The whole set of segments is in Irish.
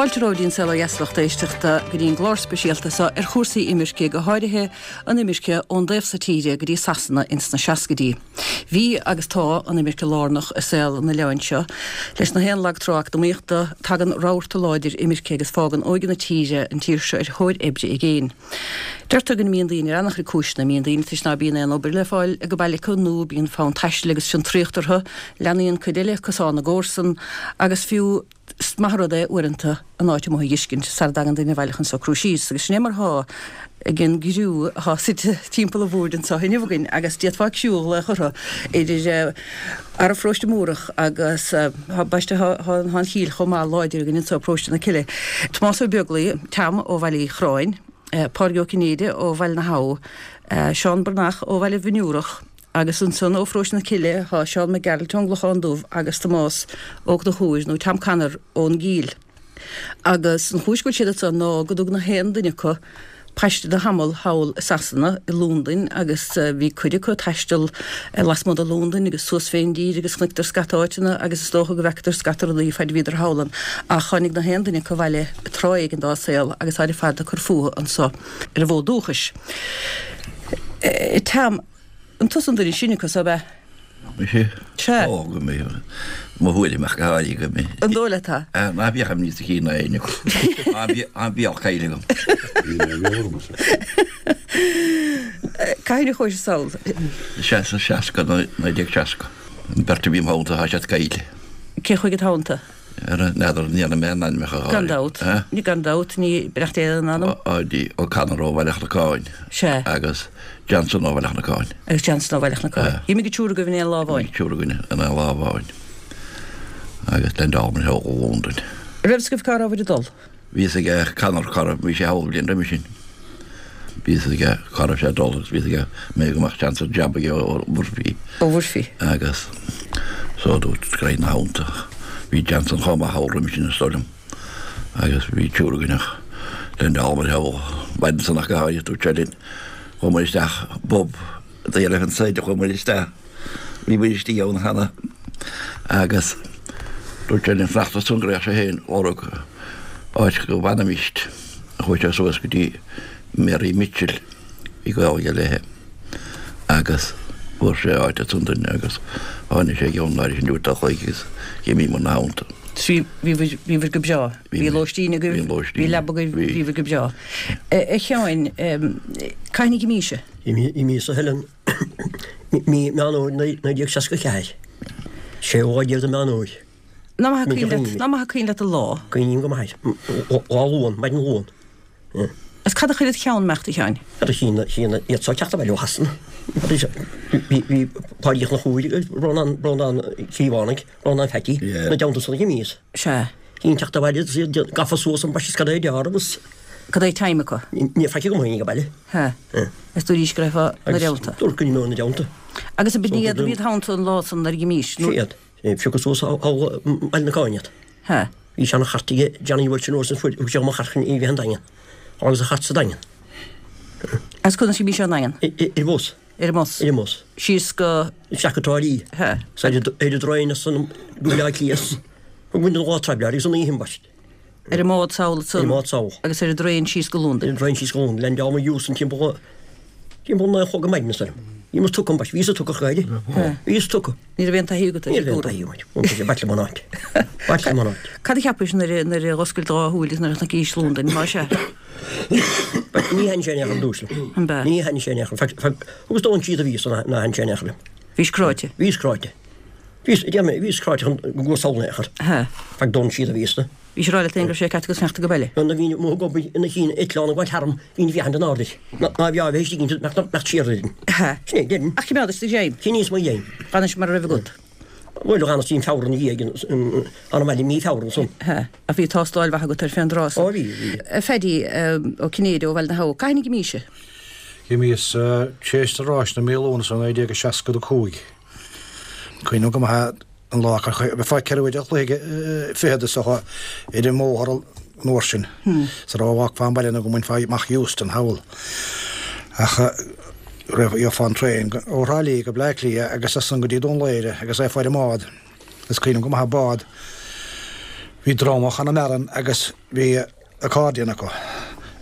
Fáilte romhaibh go dtí an Saol Ó Dheas a lucht éisteachta go dtí an gclár speisialta seo ar chúrsaí imirce, go háirithe an imirce ón dtaobh so tíre go dtí Sasana ins na seascaidí. Bhí agus tá an imirce lárnach i saol an oileáin seo. Leis na haon lag trá eacnamaíochta, tagann rabharta láidir imirce agus fágann óige na tíre an tír seo ar thóir oibre i gcéin. Deirtear go n-imíonn daoine ar an-chuid cúiseanna. Imíonn daoine toisc ná bíonn aon obair le fáil ag an baile acu nó bíonn fonn taistil agus fiontraíocht orthu. Leanaíonn cuid eile cosán na gcomharsan agus fiú Is maith an rud é uaireanta an áit amuigh a dh'fheiscint sara dtagann duine abhaile chun socrú síos, agus sin é mar thá ag an gcriú athá suite timpeall an bhoird anso inniu againn, agus d'fhéadfá criú a ghlaoch orthu, idir fhearaibh Pharóiste Múrach agus ambaiste thá an Chill chomh maith láidir againn anso, Paróiste na Cille. Tomás Ó Beaglaoi, Tom ó Bhaile Uí Chorráin, Pádraig Ó Cinnéide ó Bhaile na hAbha, Seán Breathnach ó Bhaile Bhinn Iúrach, Agus ansan ó Pharóiste na Cille thá Seán Mac Gearailt ón gClochán Dubh agus Tomás Ó Conchúir nó Tom Connor ón gCill. Agus an chúis go bhfuil siad anso ná go dtug na haon duine acu paiste do thamall thall i Sasana, i Lúndain, agus bhí cuid acu ag taisteal lasmuigh de Lúndain agus suas fén dtír agus chonaiceadar scata áiteanna agus is dócha go bhfeacadar scata rudaí faid a bhíodar thall ann. Ach tháinig na haon duine acu abhaile tráth éigin dá saol agus táid ar fad ag cur fúthu anso ar an bhfód dúchais. Tom. An tusa an duine is sine acu so, ab ea? Mise? Sea. Ó, go mbeidh mo thuairim ach go háirithe go mbeidh. An dóigh leat é? Ná bíodh imní sa chinn ná éinne acu. Ná bíodh caill agam. Cathain a chuais sall? Sea, sa 60, 1960. An bheirt a bhí im theannta, tá siad caillte. Cé chuaigh id theannta? N'fheadar, ní dhéanfaidh mé a n-ainmneacha a Gan dabht. Gan dabht, ní beannacht Dé lena n-anam. Páidí O'Connor ó Bhaile Chnocáin. Sea. Agus Johnson ó Bhaile Chnocáin. Agus Johnson ó Bhaile Chnocáin. D'imigh an triúr agaibh in aon lá amháin. D'imigh an triúr againn in aon lá amháin. Agus leaindeálamar thall i Londain. An raibh fhios agaibh cá rabhabhair ag dul? Bhí fhios ag Connor cá raibh, bhí sé thall bliain roimhe sin. Bhí fhios aige cá raibh sé ag dul agus bhí fhios aige mé go mbeadh seans ar jab aige ó Murphy. Ó Mhurphy. Agus so dúirt go raghainn ina theannta. Bhí Johnson chomh maith thall roimhe sin is dóigh liom. Agus bhí triúr againn ach leaindeálamar thall maidin san ach go háirithe dúirt sé linn chuaigh muid isteach bpub The Elephant Side chuaigh muid isteach bhí muid istigh ann cheana agus dúirt sé linn fanacht ansan go raghadh sé féin ag lorg áit go bhfanfaimíst. Chuaigh sé suas go dtí Mary Mitchell, bhí gaol aige léithe, agus fuair sé áit ansan dúinn agus tháinig sé i gceann an áirithe sin uair a chloig agus d'imíomar ina theannta. Bhí, bhí, bhíobhair go breá. Bhí lóistín agaibh, bhí leaba agaibh, bhíobhair go breá. A Sheáin, cathain a dh'imís-se? D'imíos a Helen mí Meán Fhómhair 1964. Séú lá déag de Mheán Fhómhair. Nach maith an cuimhin leat, nach maith an cuimhin leat an lá? Cuimhním go maith air. Lá Luan, maidin Luan. Is cad a chuir id cheann imeacht, a Sheáin? Cad a chinn, chinn iad so teacht abhaile ó Shasana. Bhí, bhí Páidí Uí Chonchúir, Rónán, Rónán Cíobhánaigh, Rónán Pheaidí, ina dteannta san a d'imíos. Sea. Chinn teacht abhaile is iad gafa suas ambaiste is cad é deáramh is. Cad é time acu? Ní raibh faic agam féin ag baile. Sea. Is dúraís go raghfá ina dteannta. Dúirt go n-imeoinn ina dteannta. Agus ab iad a bhí id theannta an lá san nuair a dh'imís? Sea iad. Phiocadh suas thall i mBaile Chnocáin iad. Sea. Bhí seana chairt aige Johnny Walsh an uair san fuair thug sé dhom an chairt chun í a bheith an Daingean. Thángthas an chairt sa Daingean. As conas a bhí sé an Daingean? Ar an bhus. Ar an mbus. Ar an mbus. Síos go. Isteach go Trá Lí. Sea. 'S ar an dtraein as san go Baile Átha Cliath. Thug muid an lá traibhleáir agus an oíche ambaist. Ar an mbád sall ansan. Ar an mbád sall. Agus ar an dtraein síos go Londain. Ar an dtraein síos go Londain. Leaindeálamar Euston timpeall timpeall 9 a chlog ar maidin is dóigh liom. Bhíomar tugtha ambaist. Bhíos tugtha ach go háirithe. Bhíos tugtha. Ní raibh aon taithí agat ar Ní raibh aon taithí agam. B'ait liom an áit. B'ait liom an áit. Cad a cheapais nuair a nuair a dh'oscail do dhá shúil agus nuair a chonaicís Londain, más ea? Ní thaithin sé in aon chor ar dtús liom. An b'ea? Ní thaithin sé in aon chor. Thugas dóthain siad a bhíos ná thaithin sé in aon chor liom. Bhís cráite. Bhíos cráite. Bhíos, déarfaidh mé, bhíos cráite chun go gcuasálna é a chur. Hea. Feadh dóthain siad a bhíos na. Bhís ag rá leat féin go raibh sé ceart agat fanacht ag baile. Nuair a bhínn amuigh ag obair ina chinn eitleán ag gabháil tharam, bhínn ag féachaint in airde air. Ná bheadh a bheith istigh inti, nach mbeadh siar orainn. Hea. Sin é, déarfainn. Ach choimeádais do ghreim. Choinníos mo ghreim. D'fhanais mar a raibh agat. Bhuel, d'fhanas dtí an Feabhra ina dhiaidh, an abhaile i mí Feabhra ansan. Hea. Ach bhí tástáil mhaith agat air fén dtráth san. Ó bhí, bhí. A Phaddy Ó Cinnéide ó Bhaile na hAbha, cathain a dh'imís-se? Dh'imíos tar éis na ráiseanna mí Lúnasa 1965. Cuimhním go maith an lá gur bheifeá ceithre uair a chloig fichead is dócha ar an mbóthar an uair sin sara bhfágfá an baile nó go mbainfeá amach Euston thall. Ach raibh gheofá an traein ó Thrá Lí go Bleá Cliath agus as san go dtí Dún Laoghaire agus bheifeá ar an mbád. Is cuimhin liom go maith an bád. Bhí dream ó Chonamara ann agus bhí accordion acu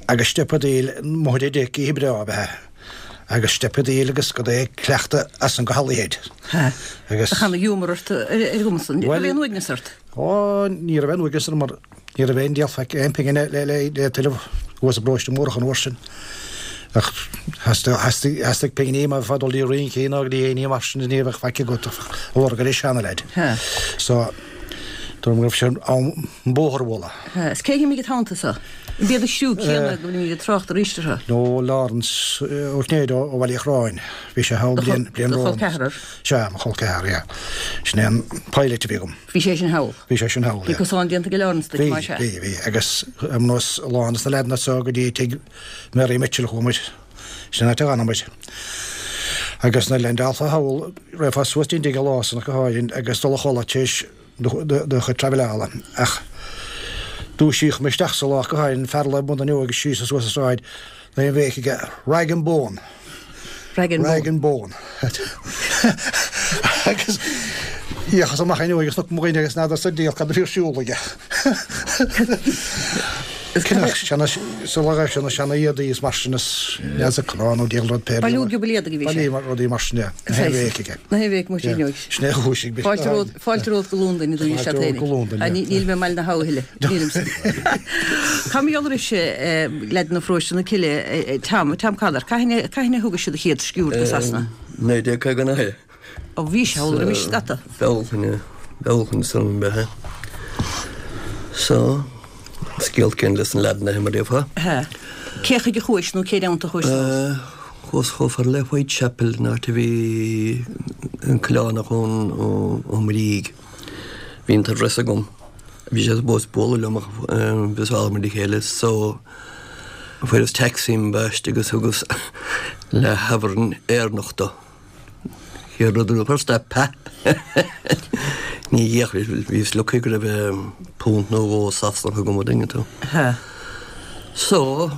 agus steipeadaíl amuigh ar deic oíche breá ab ea agus steipeadaíl agus go dté ag cleachtadh as san go Holyhead. Ha. Agus. Ach ana-ghiúmar ort ar an gcuma san. Bhuel. Raibh aon uaigneas ort? Ó, ní raibh aon uaigneas orm mar ní raibh aon diabhal faic, aon phingin le, le, le tuilleamh thuas i bparóiste Mórdhach an uair sin. Ach theastaigh, theastaigh pinginí má bheifeá ag dul dtí rincí nó go dtí éinní mar sin ní bheadh faic agat ach a lorg ar an seana-leaid. Ha. So, dúirt mé go raibh sé in am an bóthar a bhualadh. Ha. Is cé a d'imigh id theannta so? An b'iad an chriú céanna go bhfuilimid ag trácht arís orthu? No, Lawrence Ó Cinnéide ó Bhaile Uí Chorráin. Bhí sé thall bliain, bliain Do chol romham. ceathrar? Sea, mo chol ceathrar, yeah. Sin é an pilot a bhí agam. Bhí sé sin thall. Bhí sé sin thall, yeah. Bhí cosán déanta ag Lawrence duit, más ea? Bhí, bhí, bhí. Agus ar nós a lán des na leaideanna so go dtí tigh Mary Mitchell a chuaigh muid. Sin an áit a d'fhan muid. Agus nuair a leaindeálfá thall, raghfá suas dtí'n dtigh an lá san ach go háirithe agus dul a chodladh tar éis do chuid traibhleála. Ach dúisíodh mé isteach sa lá ach go háirithe, fear a luigh bun na fhuinneoige síos is suas an sráid, lena bhéic aige, Rag and bone! Rag and bone. Rag and bone. Agus d'fhéachas amach an fhuinneoig agus chonac mo dhuine agus n'fheadar sa diabhal cad a bhí ar siúl aige. Cineál seana, sula raibh sé na seana éadaí is mar sin is neasa cnámh nó diabhal rud pé. Bailiú giobal éadaigh a bhí sé. Bailiú rudaí mar sin, yeah. Na haon bhéic aige. Na haon bhéic amuigh an fhuinneoig. Sin é a dhúisigh mé. Fáilte romhat, fáilte romhat go Londain a dúisigh sé Fáilte romhat go Londain, yeah. Níl mé i mBaile na hAbha a thuilleadh. Nílimse. Cá mbeidh anois leaideanna Pharóiste na Cille, Tom, Tom Conor, cathain a thugais do chéad sciúrd go Sasana? 1959. Ó bhí sé thall roimis scata. Bealtaine, Bealtaine san ab ea. So, scéal céanna leis an leaideanna mar a déarfá. Hea. Cé chuige a chuais nó cé theannta a chuais suas? Chuas chomh fada le Whitechapel, an áit a bhí an Coileánach ón Ó Muirígh. Bhí an t-address agam. Bhí sé supposed bualadh liom ach bhíos mar a chéile so fuaireas taxi ambaiste agus thugas leath-shabharan Éireannach dó. Chéad rud a first step pa! Ní dhéach bhíos lucky go raibh punt nó dhó Sasanach agam an dtuigeann tú. So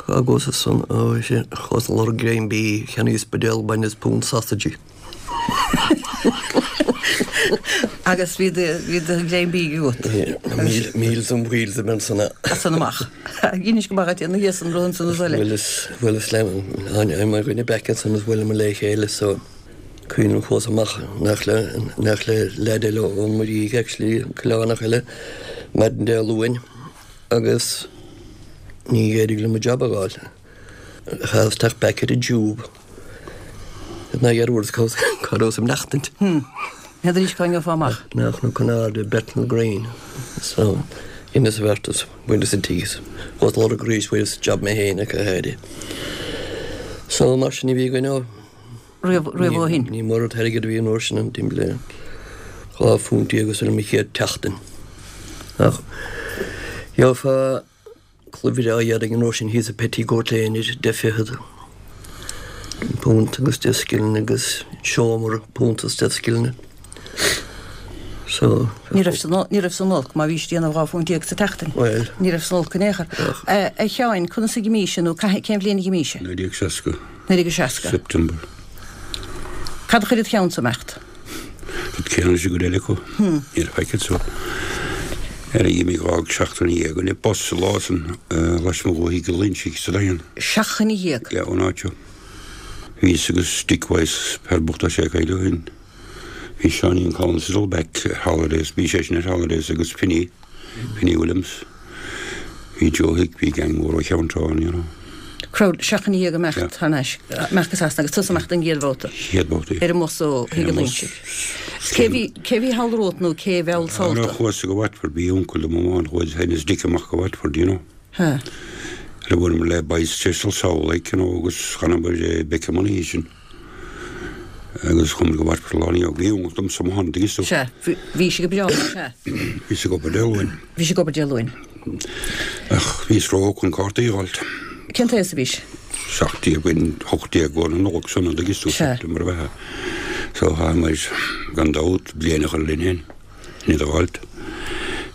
agus san ó sin chuas ag lorg greim bídh cheannaíos buidéal bainne is punt sausage. Agus bhí do bhí do ghreim bídh agat. Meals on wheels a bhí ansan. As san amach. Dheinis go maith dhuit ina dhiaidh san rud ansan is eile. Bhuel is bhuel is le mar dhuine back ansan is bhuaileamar le chéile so cuimhním chuas amach nach le nach le leaid eile ón Muirígh actually Coileánach eile maidin Dé Luain agus ní éirigh liom an job a fháil. Chaitheas teacht back ar an tube. Ná ar uair cá rabhas ag maireachtaint. N'fheadar arís cá ngeofá amach. Nach nó con airde Bethnal Green. So, dheineas an bheartas, bhaineas an tigh is chuas ag lorg arís fuaireas job mé féin ach go háirithe. So, mar sin a bhí againn ó. Riamh ó shin. Ní mór an t-airgead a bhí an uair sin an timpeall le 12 phunt agus ar mo chéad tseachtain. Ach gheofá Culaith bhreá éadaigh an uair sin thíos i Petticoat Lane ar deich fichead punt agus deich scilling agus seomra punt is deich scilling. So. Ní raibh san ní raibh san olc má bhís ag déanamh 12 phunt sa tseachtain. Bhuel. Ní raibh san olc in aon chor. A Sheáin, conas a d'imís nó cén bhliain a d'imís? 1960. 1960. September. Cad a chuir id cheannsa imeacht? Rud céanna leis an gcuid eile acu. Ní raibh faic anso. Ar a d'imigh d'fhág seachtain dhéag againn bus an lá san lasmuigh ó Thigh Uí Loingsigh sa Daingean. Seachtain dhéag? Yeah, ón áit seo. Bhíos agus Dick Wyse, fear bocht tá sé a cailleadh ó shin. Bhí Seáinín Collins ag dul back ar holidays, bhí seisean ar holidays agus Finny. Finny Williams. Bhí Joe Hick, bhí gang mór ó Cheann Trá ann, you know. Crowd, seachtain dhéag ag imeacht thar n-ais, imeacht go Sasana agus tusa ag imeacht an gcéad bhabhta. Chéad bhabhta, yeah. Ar an mbus ó Thigh Uí Loingsigh. Cé bhí, cé bhí thall romhat nó cé mheall sall tú? Chuas go Watford, bhí uncail dom amháin, chuaigh féin is Dick amach go Watford, you know. Ha. Le bhuaileamar le boys Cecil Sall, like, you know, agus chan obair i Beckham an oíche sin. Agus chuamar go Watford lá ina dhiaidh. Bhí uncail domsa amuigh ann, tuigeann tú. Sea. Bhí sé go breá, sea. Bhíos ag obair Dé Luain. Bhí sé ag obair Dé Luain. Ach bhíos ró-óg chun cártaí a fháilt. Cén t-aos a bhís? 17, 18 go na Nollag san, tuigeann tú, September ab ea. So chaitheamar, gan dabht, bliain a chur linn féin. Iad a fháilt.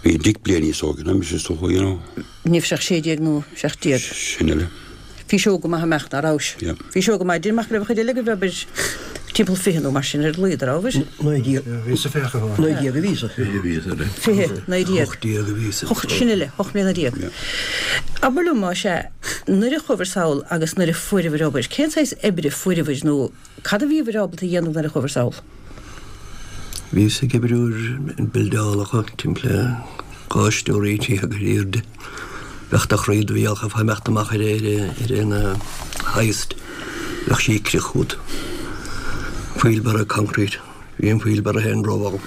Bhí Dick bliain níos óige ná mise is dócha, you know. Ní raibh sé ach 16 nó 17. Sin uile. Bhís óg go maith ag imeacht, ná rabhais? Yeah. Bhís óg go maith. Déarfainn go raibh an chuid eile agaibh, abair, Timpeall 20 nó mar sin ar a laghad, a rabhabhair? 19. Bhíos-sa 20. 19 a bhíos-sa. 20 a bhíos-sa. 20, 19. 18 a bhíos-sa. Hocht, sin uile, hocht mbliana déag. Abair liom, más ea, nuair a chuabhair sall agus nuair a fuaireabhair obair, cén saghas oibre a fuaireabhair nó cad a bhíobhair ábalta a dhéanamh nuair a chuabhair sall? Bhíos ag oibriú ar bildeálacha timpeall 12 stóraí ar airde. Bheadh do chroí do bheadh ag imeacht amach ar ar an hoist. Bheadh sí ag crith chugat. Wheelbarrow concrete. Bhí an wheelbarrow féin rómhall.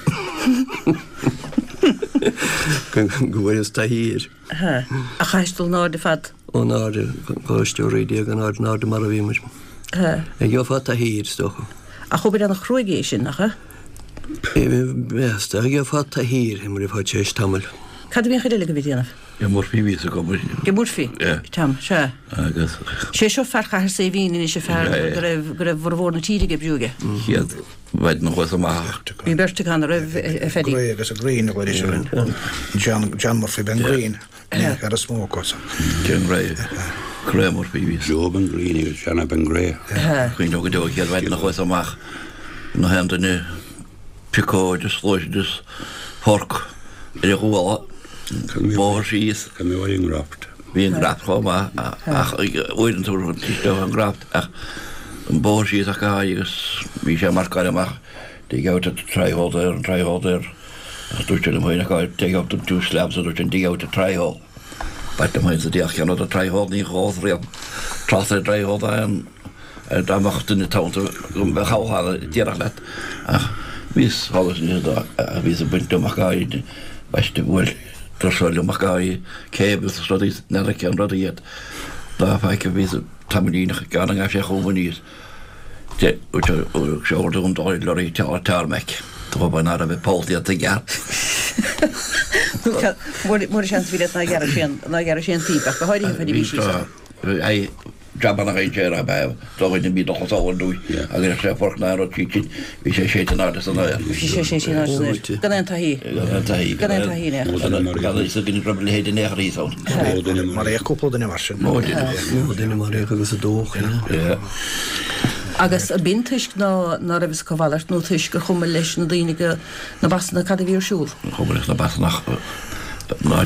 Go bhfuaireas taithí air. Ach chaithis dul in airde fad. In airde, 12 stóraí in airde, in airde mar a bhí muid. Gheofá taithí air, is dócha. Ach obair an-chruaidh é sin, nach ea? Measta, gheofá taithí air, mar a bheifeá tar éis tamaill. Cad a bhí an chuid eile agaibh ag déanamh? Ag Murphy bhíos ag obair. Ag Murphy? Yeah. Tom, sea. Agus. Sé seo fear Chathair Saidhbhín anois, an fear go raibh, go raibh formhór na tíre ag oibriú aige. Chéad mhaidin a chuas amach. Bhí beirt acu ann, a raibh, a Phaddy? Gray agus a Green a ghlaoidís orainn. John, John Murphy, Ben Green. Ar a smó acu. John Gray. Gray Murphy bhí. Joe Ben Green agus Johnny Ben Gray. Cuimhním go deo an chéad mhaidin a chuas amach nach aon duine piocóid is sluasaid is forc ar a ghuala. Bóthar síos. Bhí an graft. Bhí an graft chomh maith ach uaireanta isteach an graft ach an bóthar síos ach go háirithe agus bhí sé marcáil amach dig out at the try-hole there and try-hole there. Ach dúirt sé liom féin ach take out the two slabs a dúirt sé dig out the try-hole. B'ait liom féin sa diabhal cén rud a try-hole ní dhóibh riamh trácht ar dry-hole dá aon dá mbeadh duine tonnta go mbeadh thall díreach leat ach bhíos thall is aníos dá ach bhíos ag baint liom ach go háirid baiste bhuail tuirseoir liom ach go háirid cables is rudaí n'fheadar cén rud iad dá faic a bhíos tamaillín ach gan an gabh sé chugam aníos. Seol dom dul lorry tarmac. Tá ba ná raibh poll déanta i gceart. Mura seans bhí leat ná gearradh sé an ná gearradh sé an píp ach go háirithe faoina bhí sí sa. Bhí jabanna gainte ar ab ea do dhuine bhí dul chun sábháil dúinn agus raibh sé forc ná rud sí sin bhí sé séite in airde san aer. Bhí sé séite in airde san aer. Gan aon taithí. Gan aon taithí. Gan aon taithí in aon chor. Gan fhios againn go raibh a leithéid in aon chor thíos ann. Maraíodh cúpla duine mar sin. Mó duine maraíodh agus a dódh, yeah. Agus ab in toisc ná ná raibh fhios acu a mhalairt nó toisc gur chuma leis na daoine go, na Basanaigh cad a bhí ar siúl? Chuma leis na Basanach ná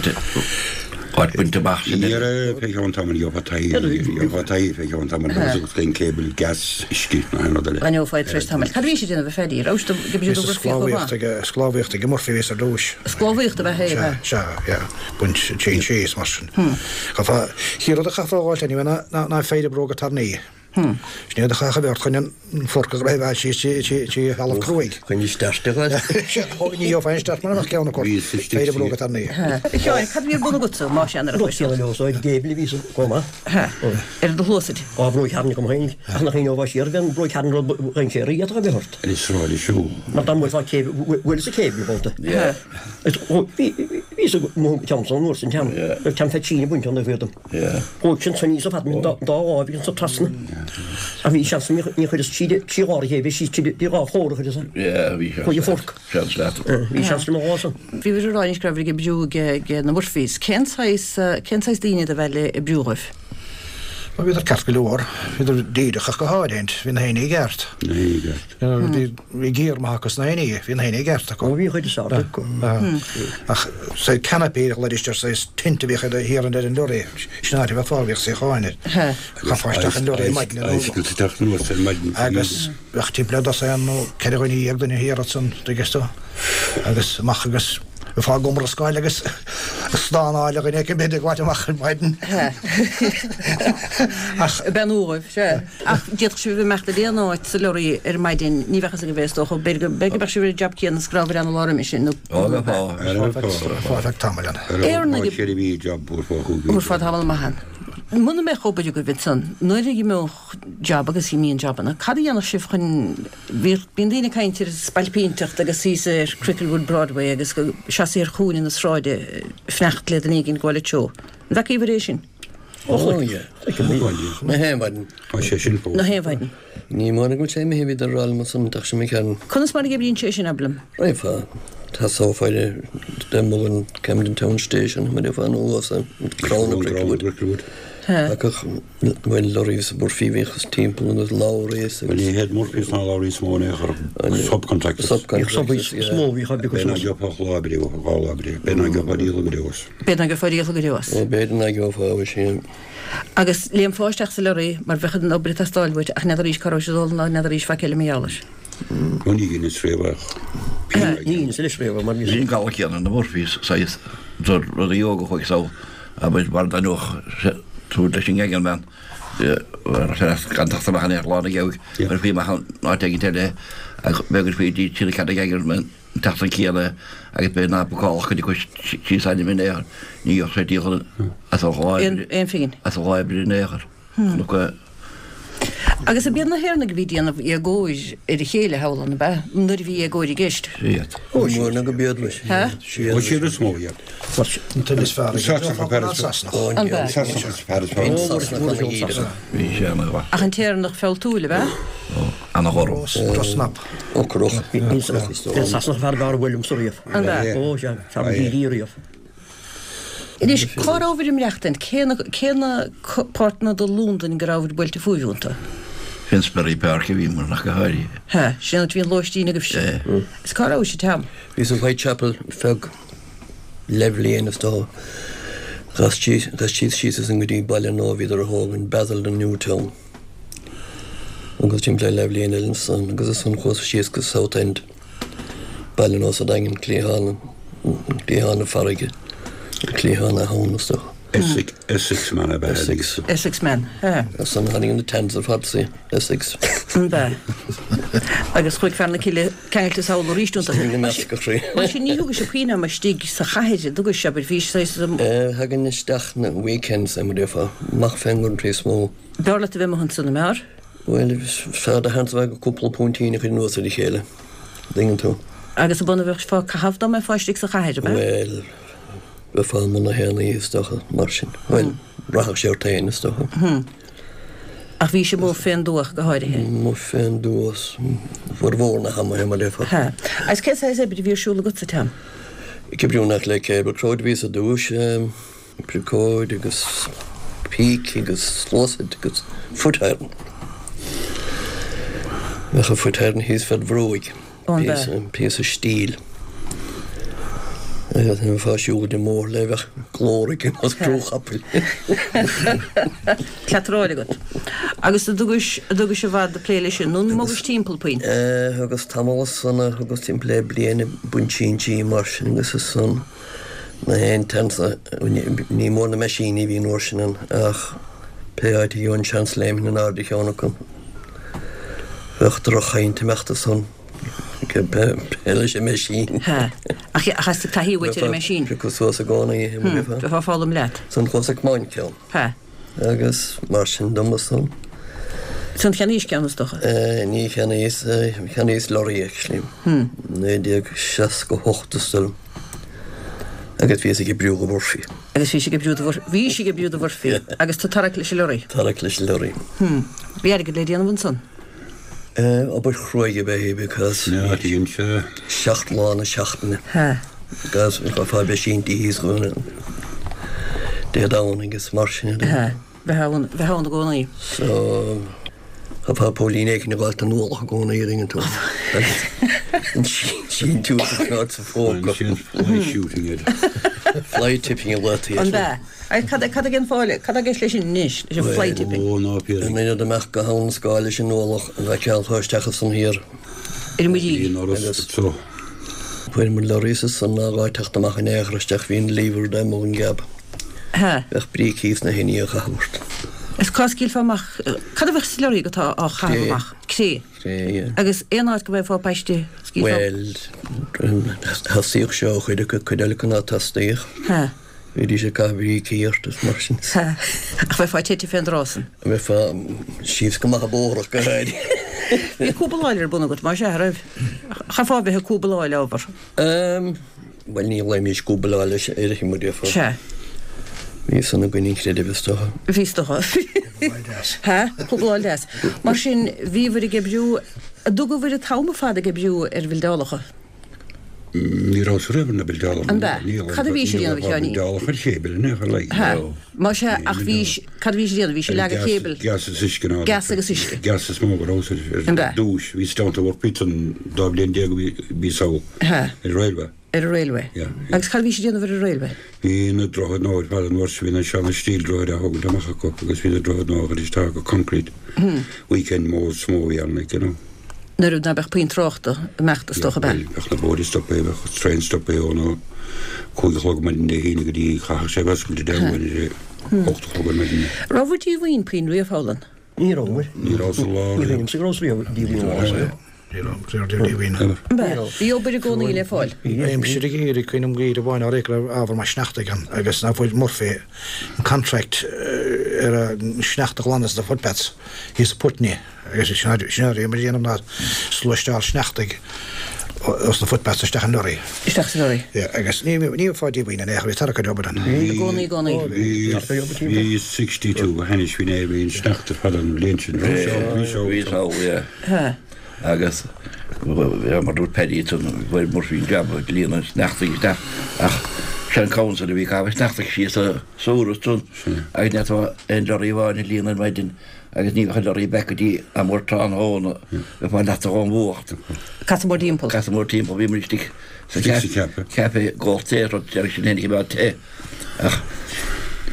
áit bainte amach sin. Ní raibh fé cheann tamaill gheofá taithí gheofá taithí fé cheann tamaill agus agus den cable gas uisce ná aon rud eile. An ngeofá tar éis tamaill. Cad a bhí sé ag déanamh a Phaddy? Raibh sé ag obair fíoch chomh maith? Sclábhaíocht ag Murphy a bhíos ar dtúis. Sclábhaíocht ab ea é, ab ea? Sea, yeah. Baint tséin síos mar sin. Chaithfeá, chéad rud a chaithfeá a fháilt anyway ná, ná, ná péire bróga tairní. Sin iad a chaithfeá a bheart chun an forc a dhraidhbheáil síos trí, trí, trí thalamh cruaidh. Chun isteach de ghail. Sea, ní gheofá aon start mura mbeadh ceann acu. Péire bróga tairní. A Sheáin, cad a bhí ar bun agatsa, más ea, nuair a chuaigh tú? Leo so ag gable a bhíos chomh maith. Ar do shluasaid. Á, bróig thairní agam féin, ach nach ionadh siar, bhí an bróig thairní rud ba dhainséaraí a d'fhéadfadh a bheith ort. Ar an sráid is siúl. Mar dá mbuailfeá céibh, bhuaileas an cable babhta. Bhíos ag mo cheann san uair san ceann, raibh ceann fé tine bainte an taobh dom. Chuaigh sin san níos fad dá láimh agus ansan trasna. Ach bhí seans ní chuireas trí dhá chéibh síos trí dhá chomhra chuireas an. Chuaigh an forc. Bhí seans le mo dhá san. Bhí bhí rá anois go raibh ag oibriú ag na Murphys. Cén saghas cén saghas daoine do bheith le oibriú dhóibh? Bhuel bhíodar ceart go leor. Bhíodar díreach ach go háirithe. Bhí na héinne i gceart. Na héinne i gceart. Bhí giar maith acu sna héinne. Bhí na héinne i gceart acu. Ó bhí chuid is ard acu. Ach saghas canopy a ghlaoidís air saghas tent a bhíodh ar thiar ar an lorry. Sin áit a bheadh fáil bhíodh suíocháin air. Chaithfeá isteach an lorry ar maidin. Icicles ag teacht anuas ar maidin. Agus bheadh timpeall le dosaen nó 14 dhuine duine thiar ansan, tuigeann tú. Agus amach agus. Bheifeá ag iomrascáil agus ag stánáil a dhuine éicint b'fhéidir ag gabháilt amach ar maidin. Ach bean uaimh, sea. Ach d'fhéadfadh sibh imeacht ar aon áit sa lorry ar maidin, ní bheadh fhios agaibh é is dócha. B'fhéidir go mbeadh sibh ar an jab céanna is go rabhabhair ann an lá roimhe sin nó. Ó, bheifeá. Bheifeá ar feadh tamaill ann. Éireannaigh. Thabharfá tamall maith ann. Muna mbeadh obair agaibh ansan, nuair a imeodh jab agus imíonn jabanna, cad a dhéanfadh sibh chun Bhíodh, bíonn daoine ag caint ar spailpínteacht agus thíos ar Cricklewood Broadway agus go seasamh ar chúinne na sráide ag fanacht le duine éigin gabháil an treo. An bhfeacaíobhair é sin? Ó yeah. Na haon mhaidin. Tá sé sin fós. Na haon mhaidin. Ní mór go bhfuil sé imithe, bhíodar ag rá liom ansan, ach sin mo cheann. Conas mar a oibríonn sé sin, abair liom? Raghfá, tosófá ar de Mullen Camden Town Station, mar gheofá anuas an Crown of Cricklewood. Thagadh, bhuel, lorries Murphy bhíodh is timpeall agus lorries agus. Bhuel, ní hiad Murphys ná lorries is mó in aon chor, subcontractors. Subcontractors, yeah. Is mó a bhíodh oibre B'fhéidir nach gheofá ach lá oibre uathu, lá oibre. B'fhéidir nach gheofá díol oibre as. B'fhéidir nach gheofá díol oibre as. Ó, b'fhéidir nach gheofá, bhuel, sin. Agus léimfeá isteach sa lorry mar bheadh an obair ag teastáil uait ach n'fheadaraís cá raibh sé ag dul ná n'fheadaraís faic eile mar gheall air. Ó ní dheineas riamh ach Ní dheineas anois riamh mar Bhí an galar céanna na Murphys saghas rudaí óga chuaigh sall abair mar dá ndóch tú leis an gangman gan teacht amach in aon lá na geabhaidh chuirfí amach in áit éigin eile ach bheadh faoi dtí sin cead ag gangman an tseachtain céanna agus b'fhéidir ná bacálach go dtí cois síos ainm in aon chor ní gheobhadh sé díol as an lá oibre Aon phingin. as an lá oibre in aon chor. Nó Agus ab iad na hÉireannaigh a bhí ag déanamh éagóir ar a chéile thall ann, ab ea? Nuair a bhí éagóir i gceist. Siad. Ó, siad. Nó go b'iad leis. Hea? Ó, siad is mó iad. An duine is fearr ag an ná Sasanach. An b'ea? Sasanach is fearr is fearr. Sasanach ana dhíreach. Bhí sé ana mhaith. Ach an tÉireannach fealltúil, ab ea? Ó, ana ghorm. Drochsnap. Ocrach. Bhí Sasanach fear b'fhearr a bhuail liomsa riamh. An b'ea? Ó, sea, fear ba dhídí riamh. Anois, cá rabhabhair ag maireachtaint? Cé na, cé na páirteanna de Londain go rabhabhair buailte fúibh iontu? Finsbury Park a bhíomar ach go háirithe. Hea, sin an áit a bhí an lóistín agaibhse. Sea. Is cá rabhais an t-am? Bhíos in Whitechapel feadh leathbhliain is dócha. D'aistrigh síos ansan go dtí baile nua a bhíodar a thógaint, Basildon New Town. Agus timpeall le leathbhliain eile ansan agus ansan chuas síos go South End. Baile nua sa Daingean, cliathán, cliathán na farraige, cliathán na habhann is dócha. Essex, Essex man ab ea Essex. Essex man, hea. Ansan tháinig na Tans ar fad sa Essex. An b'ea? Agus chuaigh fear na cille ceangailte sall arís iontu. Tháinig na meascadh thrí. Mar sin ní thugaibh sibh puinn ama istigh sa chathair, an dtugaibh sibh, bhí saghas. Thagainn isteach na weekends, mar a déarfá, amach fén gcountry is mó. B'fhearr leat a bheith amuigh ansan, an mb'fhearr? Bhuel, fearr do sheans a bheith agat cúpla puintín a chur anuas ar a chéile, an dtuigeann tú. Agus ab ionann a bheifeá ag caitheamh dá mbeifeá istigh sa chathair, ab ea? Bhuel, bheifeá amuigh na haon oíche, is dócha, mar sin. Bhuel, rachadh sé ort féin, is dócha. Hm. Ach bhís amuigh fén dtuath go háirithe? Amuigh fén dtuath, formhór na hama, mar a déarfá. Hea. Agus cén saghas oibre a bhí ar siúl agatsa, Tom? Ag oibriú in aice le cable crowd a bhíos ar dtúis. Briocóid agus píce agus sluasaid agus foot iron. Bheadh an foot iron thíos fed bhróig, píosa stíl. Agus nuair a bheifeá ag siúl den mbóthar léi bheadh glór aici ar nós crú chapaill. Cleataráil agat. Agus an dtugais, an dtugais i bhfad ag plé leis sin, nó an mbogais timpeall puinn? Thugas tamall ansan, thugas timpeall le bliain ag baint síntí mar sin agus ansan. Na haon tseans, ní mór na meaisíní a bhí an uair sin ann ach pé áit a gheobhainn seans léimfinn in airde cheann acu. Bheadh droch-chaint ag imeacht ansan pé leis an meaisín. Hea. Ach theastaigh taithí uait ar an meaisín. Piocadh suas i gcónaí é, mar bheifeá. Bheifeá ag foghlaim leat. Ansan chuas ag tiomáint ceann. Hea. Agus mar sin dom ansan. Ansan cheannaís ceann is dócha? Ní cheannaíos, cheannaíos lorry actually. 1968 is dóigh liom. Agus bhíos ag oibriú do Mhurphy. Agus bhís ag oibriú do Mhurphy. Bhís ag oibriú do Mhurphy. Agus tú ag tarrac leis an lorry. Tarrac leis an lorry. Bhí airgead le déanamh ansan? Obair chruaidh ab ea í because 7 lá na seachtaine. Hea. Because chaithfeá bheith sínte thíos chugainn Dé Domhnaigh agus mar sin de. Hea. Bheith ann, bheith ann i gcónaí. So, chaithfeá póilín éicint a ghabháil den ualach i gcónaí an dtuigeann tú. An síntiús a choimeád sa phóca. Fly shooting it. Fly tipping a ghlaotaí air. An b'ea? Cad cad ag an fáil, cad atá i gceist leis sin anois, leis an fly tipping? Ó, ná píoraí. An oiread amach go habhann na Scáil leis an ualach a bhfeiceálfá isteach ansan thiar. Ar an muiríl. Bhí an Fhoras so. Fuair muid lorries ansan ná dhá teacht amach in aon chor isteach bhí an lever amuigh an gcab. Hea. Bheadh brící sna hinní a chaitheamh ort. Is cá scaoilfeá amach, cad a bheadh sa lorry agat á chaitheamh amach? Cré. Cré, yeah. Agus aon áit go mbeifeá paiste, scaoilfeá. Bhuel, theastaíodh seo ó chuid acu, cuid eile acu ná teastaíodh. Hea. Bhídís ag caitheamh brící ort is mar sin. Hea. Ach bheifeá tite fén dtráth san. Bheifeá síos go maith an bóthar ach go háirithe. Bhí cúbaláil ar bun agat, más ea, a raibh? Chaithfeá a bheith ag cúbaláil ábhar. Ehm, bhuel ní ghlaoimís cúbaláil leis uirthi, mar a déarfá. Sea. Bhí san againn an creideamh is dócha. Bhí is dócha. Cúbaláil deas. Hea, cúbaláil deas. Mar sin, bhíobhair ag oibriú, an dtugabhair an t-am ar fad ag oibriú ar bhildeálacha? Ní rabhas riamh ar na buildeálacha. An b'ea? Cad a bhís a dhéanamh, a Sheáinín? Buildeálacha ar chéibel in aon chor like. Hea. Más ea, ach bhís, cad a bhís a dhéanamh? Bhís ag leagadh céibel? Gas is uisce ná. Gas agus uisce. Gas is mó go rabhas ar An b'ea? dtúis. Bhíos down to work píosa an dá bhliain déag a bhíos thall. Hea. Ar railway. Ar an railway. Yeah. Agus cad a bhís a dhéanamh ar an railway? Bhí na droichid nua ar fad an uair sin, bhí na seana steel droichid á thógaint amach acu agus bhí na droichid nua á gcur isteach acu, concrete. Weekend mó is mó a bhí ann, like, you know. Nuair ná beadh puinn tráchta ag imeacht is dócha, ab ea? Yeah, bhuel, bheadh na bóithre stoptha, bheadh traein stoptha ón a cúig a chlog maidin Dé hAoine go dtí chaithfeadh sé a bheith oscailte Dé Luain ar a hocht a chlog ar maidin. Raibh bhur díomhaoin puinn riamh, Fodhlann? Ní rabhamar. Ní raibh sa lá Ní raibh sa raibh riamh díomhaoin. Ní raibh riamh díomhaoin. An b'ea? Bhí obair i gcónaí le fáil. Aimsir an gheimhridh, cuimhním geimhreadh amháin áirithe go raibh ábhar maith sneachta againn agus nach bhfuair Murphy an contract ar an sneachta a ghlanadh sna footpaths thíos i Putney agus sin a bhí muid a dhéanamh ná sluaisteáil sneachtaidh os na footpaths isteach an lorry. Isteach sa lorry. Yeah, agus ní ní bheifeá díomhaoin in aon chor, bhí tarrac ar obair ann. I gcónaí, i gcónaí. Bhí, bhí 62 go hainnis faoin aer, bhí an sneachta ar fad an bhliain sin. Bhí sé, bhí sé. Bhí sé, yeah. Ha. Agus mar dúirt Paddy ansan, fuair Murphy an jab ag líonadh an sneachtaidh isteach ach sé an council a bhí ag caitheamh an sneachtaidh síos sa sewer ansan agus ní fhéadfá aon lorry amháin a líonadh ar maidin agus ní bheadh an lorry back go dtí am ar tráthnóna, bheifeá leata ón bhfuacht. Casadh mór timpeall. Casadh mór timpeall, bhí muid istigh sa chaife ag ól tae, rud deireadh sin féin ag imeacht te. Ach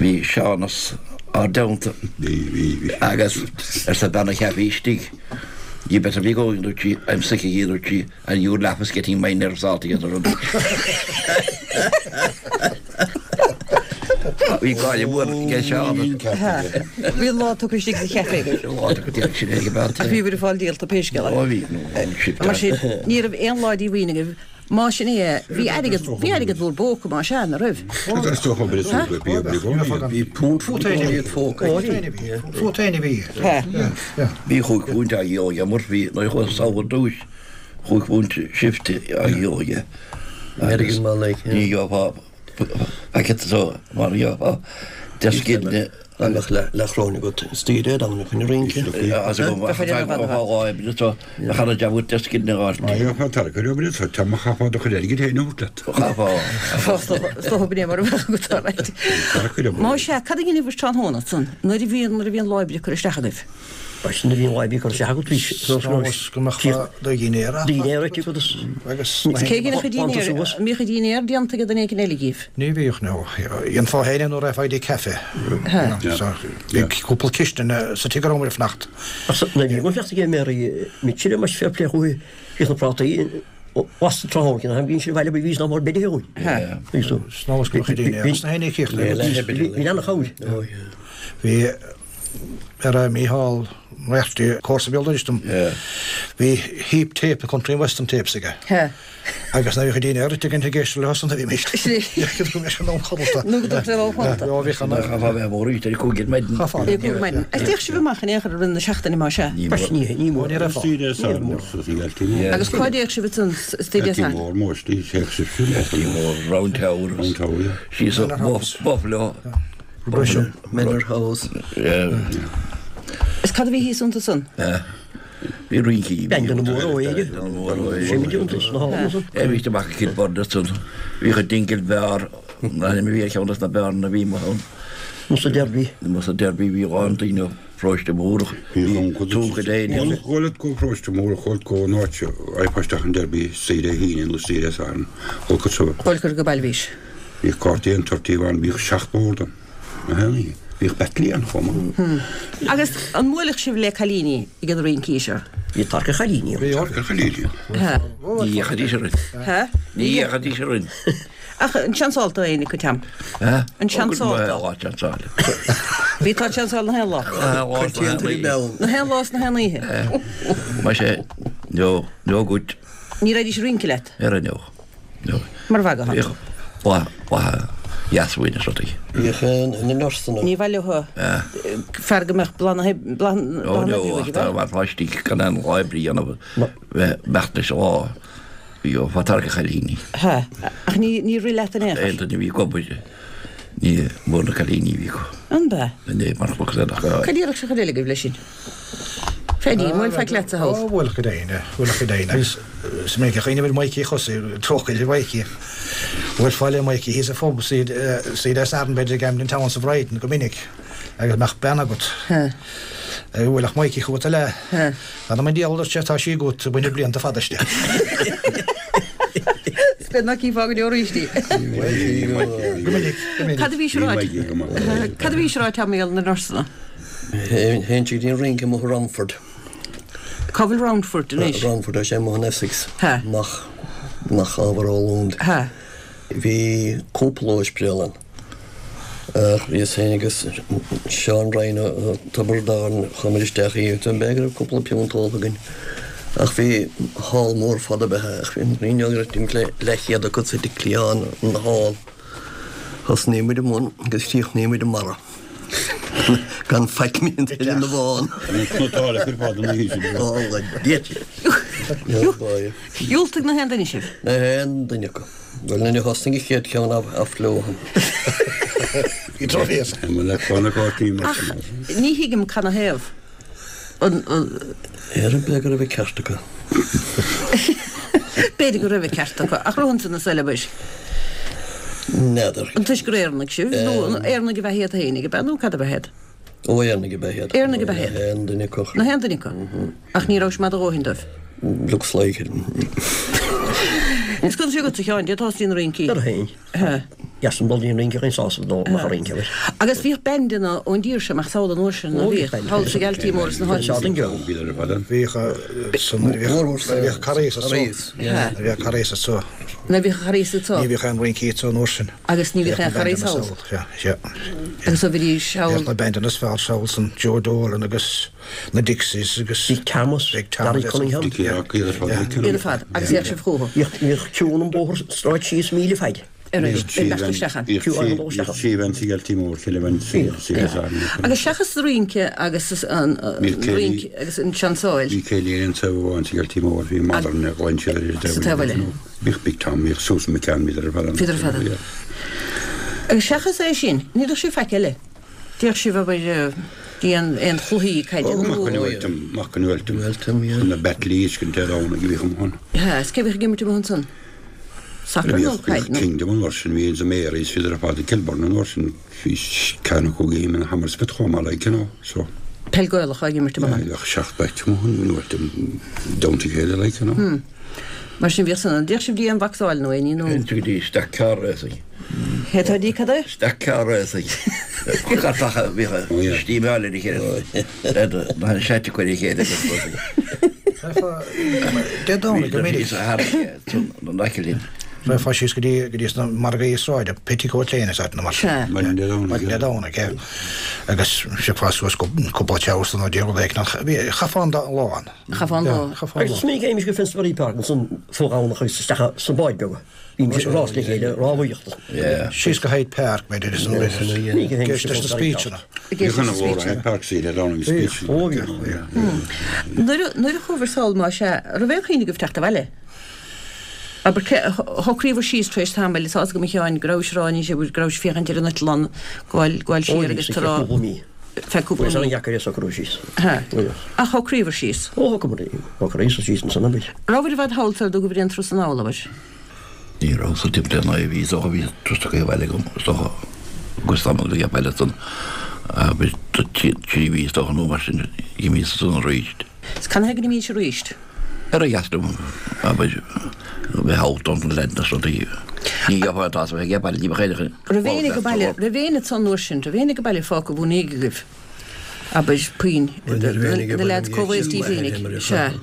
bhí Seánas ár dteannta agus arsa bean an chaife istigh, You better be going, dúirt sí, I'm sick of you, dúirt sí, and your laugh is getting my nerves altogether. Bhí gáire mhór ag Seánas. Bhí an lá tugtha istigh sa chaife agaibh. Lá tugtha sin ag an Ach bhí bhur fáil díolta pé scéal é. Ó bhí. Mar sin, ní raibh aon lá díomhaoin agaibh. Más sin é, bhí airgead, bhí airgead bhur bpóca, más ea, ná raibh? Is dócha obair is obair, bhí obair i gcónaí. Bhí punt fút féin a phóca. Fút féin a bhí. Bhí chúig phunt á dhíol aige Murphy nuair a chuaigh sall ar dtúis, chúig phunt shift á dhíol aige. Airgead maith like, yeah. Ní gheofá packet so mar gheofá deich scilling. Dá mbeadh leathchróin agat istigh ar am chun rince. As go bhfá lá oibre so bheadh ana jab agat deich scilling a fháil. Má gheofá tarracóir oibre so tá má chaithfeá do chuid airgid féin a thabhairt leat. Chaithfeá. Is dócha b'in é mar a bheadh agat alright. Tarracóir oibre. Más ea, cad a dhéanfaibh tráthnóna ansan nuair a bhíonn nuair a bhíonn lá oibre curtha isteach agaibh? Sin a bhíonn lá oibre curtha isteach agat bhí Nós go mbeadh do dhinnéar Dinnéar agat agus agus Cé a dhéanfadh an dinnéar? An mbíodh an dinnéar déanta ag duine éigin eile díobh? Ní bhíodh, no. Dhéanfá féin é nó raghfá go dtí caife. So bhí cúpla cistin sa tigh a raibh muid ag fanacht. Ach nuair a bhí fanacht ag Mary Mitchell mar fair play chuaigh bhíodh na prátaí lasta tráthnóna cinn bhíonn siad abhaile bhí nach mór beidh uainn. Nós go mbeadh an dinnéar sna haon oíche. Bhí an-chabhair. Bhí ar Mícheál Moriarty, comharsa béal dorais dom. Bhí heap tape, country and western tapes aige. Agus nuair a bhíodh dinnéar ite againn ag éisteacht leo san a bhí mé. Nó go dtugtar leo fanta. Ó bhíodh an. Chaithfeá bheith mór ar a cúig ar maidin. Chaithfeá. Ar a cúig ar maidin. Agus d'fhéach sibh amach in aon chor i rith na seachtaine más ea? Ní mór. Ní mór. Ní raibh. Agus cá dtéadh sibh ansan istigh Dé Sathairn? Mór mór istigh, théadh sibh siúl. Mór Round Tower. Round Tower, yeah. Síos Buffalo. Buffalo. Manor House. Is cad a bhí thíos iontu san? Bhí rincí. Bean na mór ó éige. É bhí amach i Kilburn ansan. Bhíodh an Dingle Bar, na ainm a bhí ar cheann des na beáranna a bhí amuigh ann. Musa Derby. Musa Derby bhí a lán daoine ó Pharóiste Múrach. Bhí Túncha Léine. Chuala go Paróiste Múrach, chuala go an áit a isteach an Derby saoire Aoine nó saoire Sathairn. Chuala go Chuala go baile bhís. Bhíodh cártaí an tortaí ann, bhíodh seacht mbord ann. Na haon oíche. Bhíodh beatlí ann chomh maith. Agus an mbuailfeadh sibh le cailíní ag an rincí seo? Bhí tarc ar chailíní ann. Bhí tarc ar chailíní ann. Ní dhéanfaidís orainn. Ní dhéanfaidís orainn. Ach an seansáil tú éinne acu, Tom? An seansáil tú? Ó, seansáil. Bhí tá seansáil na haon lá. Na haon lá is na haon oíche. Maise, no, no good. Ní raghaidís ag rince leat? Ar no. Mar bheadh Bhíodh boladh dheas uainn is rudaí. Bhíodh na nursanna. Ní bheadh leo fear go mbeadh boladh na hoibre aige. Ó, mar pháistí gan aon lá oibre a dhéanamh bheith beacht leis an lá. Bhí ó tarrac a chailíní. Ha, ach ní rith leat in aon chor. Aon duine a bhí ag obair ní mór na cailíní a bhí acu. An b'ea? Ní mar chloch Cad iarrfadh sé chun eile agaibh leis sin? Phaddy, an mbuailfeá leatsa thall? Ó, bhuailfeadh go deimhin, bhuailfeadh go deimhin. Agus is minic a chuimhním ar Mikey thosaigh, trócaire ar Mhikey. Bhuailfeá le Mikey thíos sa phub suí le Satharn b'fhéidir i gCamden Town sa Bhrighton go minic agus mbeadh bean agat. Bhuailfeadh Mikey chugat eile. Th'anam 'on diabhal a dúirt sé, tá sí agat, bainfidh blianta fada aisti. Is beag nach gcífeá go deo arís í. Go minic, go minic. Cad a bhís a rá? Cad a bhís a rá Tommy ar na nósanna? Théinnse go dtí an rince amuigh i Romford. Cá bhfuil Romford anois? Romford, tá sé amuigh in Essex. Ha. Amach, amach ábhar ó Londain. Ha. Bhí cúpla ospidéal ann. Ach bhíos féin agus Seán Ryan ó Tiobraid Árann, chuamar isteach í, b'fhéidir go raibh cúpla piúnt ólta againn. Ach bhí hall mór fada ab ea é, ach bhí an rince go raibh timpeall leathchéad acu sa cliathán an hall. Thosnaigh muid i mbun agus chríochnaigh muid i mbarra. Gan faic mín ar na bhfán. Cnotáil ar fad ina thaobh sin. Ó, a Dhia. Dhiúltaigh na haon duine sibh? Na haon duine acu. Bhuel, nuair a thosnaigh an chéad cheann off leo. Bhí drochbhéas. Ach ní thuigim canathaobh. An. Ar bith go raibh an ceart acu. B'fhéidir go raibh an ceart acu, ach raibh ansan na soilbhis. N'fheadar. An toisc gur Éireannaigh sibh, nó Éireannaigh ab ea iad féinig, ab ea, nó cad ab ea iad? Ó, Éireannaigh ab ea iad. Éireannaigh ab ea iad. Na haon duine acu. Na haon duine acu. Ach ní raibh sé maith do dhóthain dóibh. Looks like it. Is conas é agatsa, a Sheáin, dé tosaí na rincí? Ar féin. Dheas an dul i rince againn sásamh dó amach a rince air. Agus bhíodh bandanna ón dtír seo amach sall an uair sin, ná bhíodh? Thall sa Ghealtaí Mór is na háiteanna sin. Bhíodh san nuair a bhíodh Carraes anso. Nuair a bhíodh Carraes anso. Nuair a bhíodh Carraes anso. Ní bhíodh aon rincí anso an uair sin. Agus ní bhíodh aon Charraes thall. Sea. Agus ó bhídís thall. Bhíodh na bandanna is fearr sall san Joe Dolan agus na Dixies agus. Bhí Thomas, Big Thomas. Barry Cunningham. Dickie Rock, iad ar fad. Iad ar fad. Agus bhíodh sibh chucu. Bhíodh queue an bóthar sráid síos míle faid. Ar an mbealach isteach ann. Bhíodh trí bhean sa Ghealtaí Mór, ceithre bhean sa Agus seachas an rince agus an rince agus an tseansáil. Bhí céilí ar an taobh amháin sa Ghealtaí Mór, bhí Modern ar ghlan siad ar an taobh eile. Bhíodh Big Tom, bhíodh Susan McCann, bhíodar ar fad ann. Bhíodar ar fad ann. Agus seachas é sin, ní raibh sibh faic eile. D'fhéach sibh abair dtí aon chluichí caide nó. Mac an Uailtim, Mac an Uailtim. Uailtim, yeah. Na Battleys, go dtí ann ag bhíodh amuigh ann. Sea, is cé bhíodh ag imirt amuigh ansan? Sacar nó caid nó? Bhíodh Kingdom an uair sin, bhí the Marys, bhíodar ar fad i Kilburn an uair sin, bhí ceann acu ag imirt in Hammersmith chomh maith like, you know, so. Peil Gaelach ag imirt amuigh ann. Yeah, bhíodh seacht bpatch amuigh ann in Uailtim, down to chéile like, you know. Hmm. Mar sin bhíodh san ann. D'fhéach sibh dtí aon bhacsáil nó aon ní nó? Go dtí stock car racing. Cé tá dí cad é? Stock car racing. Cartacha bhíodh stímeáil ar a chéile. Na seite cuir a chéile agus rudaí. Dé Domhnaigh go minic. Rachfá síos go dtí go dtí sna margaí sráide, Petticoat Lane is áit na mar sin. Maidin Dé Domhnaigh. Maidin Dé Domhnaigh, é. Agus thiocfá suas cúpla teach nó dtí rud éigin ach chaithfeá an lá ann. Chaithfeá an lá. Agus is minic a théimis go Finsbury Park ansan fo-Dhomhnach agus isteach sna báid beaga. Bhímis ag rás le chéile, rámhaíocht. Síos go Hyde Park, b'fhéidir, is an éist leis na speecheanna. Bhíodh ana mhór Hyde Park saoire ar an speech. Ó bhíodh. Nuair a chuabhair sall más ea, raibh aon chuimhne agaibh teacht abhaile? Abair, cé, shocraíobhair síos tar éis tamaill, tá fhios agam a Sheáin, go rabhais ag rá anois, go rabhais ag féachaint ar an eitleán gabháil, gabháil siar agus tú ag rá. feadh cúpla mí. Bhí sé an-deacair é socrú síos. Hea. Ach shocraíobhair síos. Ó shocraíomar, shocraíos síos ansan abair. Rabhair i bhfad thall sar dtugaibhair aon turas anall, abair? Ní raibh sa timpeall ar naoi mhí is dócha bhí turas tugtha abhaile agam is dócha agus tamall a bhí abhaile ansan abair trí mhí is dócha nó mar sin d'imíos ansan arís. Is canathaobh go n-imís arís? Ar a dheas liom, abair, bheith thall don leaid na rudaí. Ní gheofá an t-as a bheith ag baile, ní bheadh aon Raibh éinne ag baile, raibh éinne ansan an uair sin, raibh éinne ag baile fágtha bhur ndiaidh agaibh, abair, puinn, na leaids comhaosta díbh féinig, sea.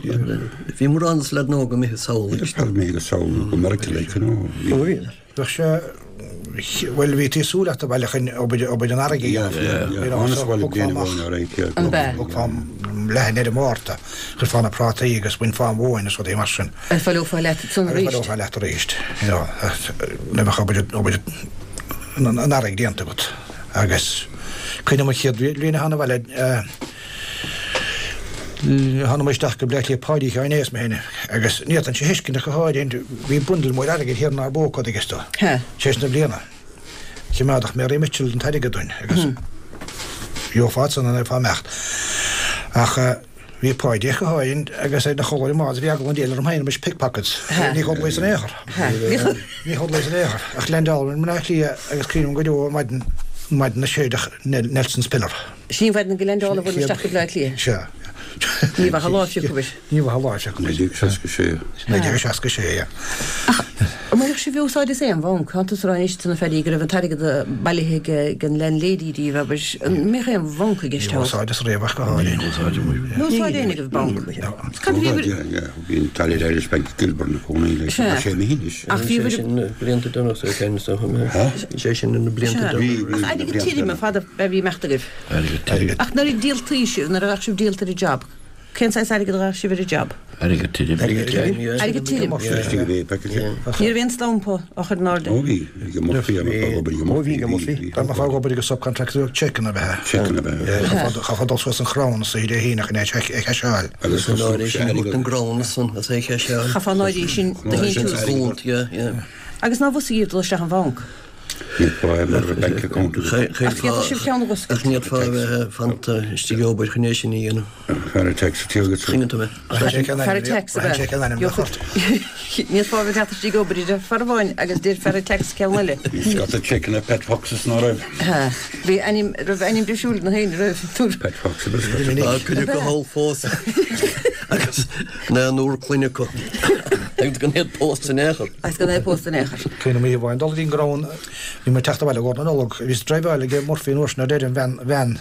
Bhí mórán de na leaids óga imithe sall. Bhí mé go sall go Meiriceá like, you know. Bheadh sé, bhuel, bhí tú ag súil leat abhaile chun obair, obair an earraigh a dhéanamh. Yeah, yeah, thánas abhaile bliain amháin alright, yeah. An b'ea? Thógfá leath ar an Mhárta, chuirfeá na prátaí agus bhainfeá an mhóin agus rudaí mar sin. Agus bhaileofá leat ansan arís. Agus bhaileofá leat arís, you know, nuair a bheadh obair, obair an earraigh déanta agat. Agus cuimhním an chéad bhliain a thána abhaile, Thána isteach go Bleá Cliath Páidí Sheáin Aodha is mé féin agus ní fhéadfainnse a thuiscint ach go háirithe bhí bundle mór airgid thiar inár bpócaid ag isto tar éis na bliana. Choimeádadh Mary Mitchell an t-airgead dúinn agus gheofá ansan an bheifeá imeacht. Ach. Bhí Páidí go háirithe agus é ina chodladh ar an mbád, bhí eagla an diabhail orm féin roimis pickpockets. Ní chodlaíos in aon chor. Ní chodlaíos in aon chor. Ach leaindeálamar i mBleá Cliath agus cuimhním go deo an mhaidin, an mhaidin a séideadh Nelson's Pillar. Sin í an mhaidin go leaindeálabhair isteach go Bleá Cliath. Sea. Ní bheadh a lá fiuchadh. Ní bheadh a lá fiuchadh. 1966. 1966, yeah. Ach an mbainfeadh sibh úsáid as aon bhanc? Tánn tusa ag rá anois do na fearaí go raibh an t-airgead bailithe ag an landlady díobh, abair. An mbeadh aon bhanc i gceist thall? Ní úsáid as riamh ach go háirithe. Ní úsáid muid. Ní úsáid éinne agaibh banc. Cad a bhí Úsáid, yeah, yeah. Bhí an Allied Irish Bank i gCilbern i gcónaí leis. Sea. Tá sé imithe anois. Ach bhí Bhí sé sin na blianta deireanacha sa cheann is dócha. Bhí sé sin na blianta Sea. deireanacha. Ach airgead tirim ar fad a bhí ag imeacht agaibh. Airgead tirim. Ach nuair a díoltaí sibh, nuair a bheadh sibh díolta ar an job, cén saghas airgead a ghabhadh sibh ar an job? Airgead tirim. Airgead tirim, yeah. Airgead tirim. Istigh i bpé Ní raibh aon stampa á chur in airde. Ó bhí, bhí go Murphy, dá mbeifeá ag obair go Murphy, bhí go Murphy. Dá mbeifeá ag obair go subcontractor seiceanna ab ea. Seiceanna ab ea. Chaithfeá dul suas an crann sa Dé hAoine chun é a chaiseáil. Agus An áirithe sin, thabhairt an gcrann san as é a chaiseáil. Chaithfeá an áirithe sin do shíntiús. Gúnt, yeah, yeah. Agus ná bhfos dhaoibh dul isteach an bhanc. Ní fáth mar a bank account agat. Ach d'fhéadfadh sibh ceann a dh'oscailt. Ach ní fhéadfá a bheith fanta istigh ag obair chun é sin a dhéanamh. Fear an tax atá agat. Coinneann tú mé. Fear an tax ab ea? Ní fhéadfá a bheith teacht istigh ag obair a deir fear amháin agus deir fear an tax ceann eile. Bhí scata seiceanna Pat Foxes ná raibh. Bhí ainm, raibh ainm difriúil ag na héinne roimh. Pat Fox ab ea. Tá cuid acu thall fós agus naonúr clainne acu. Agus gan iad pósta in aon chor. Agus gan é pósta in aon chor. Cuimhním oíche amháin dul go dtí an gcrann, bhí mé ag teacht abhaile i gcomhair na Nollag, bhíos ag driveáil ag Murphy an uair sin ar deireadh an veain, veain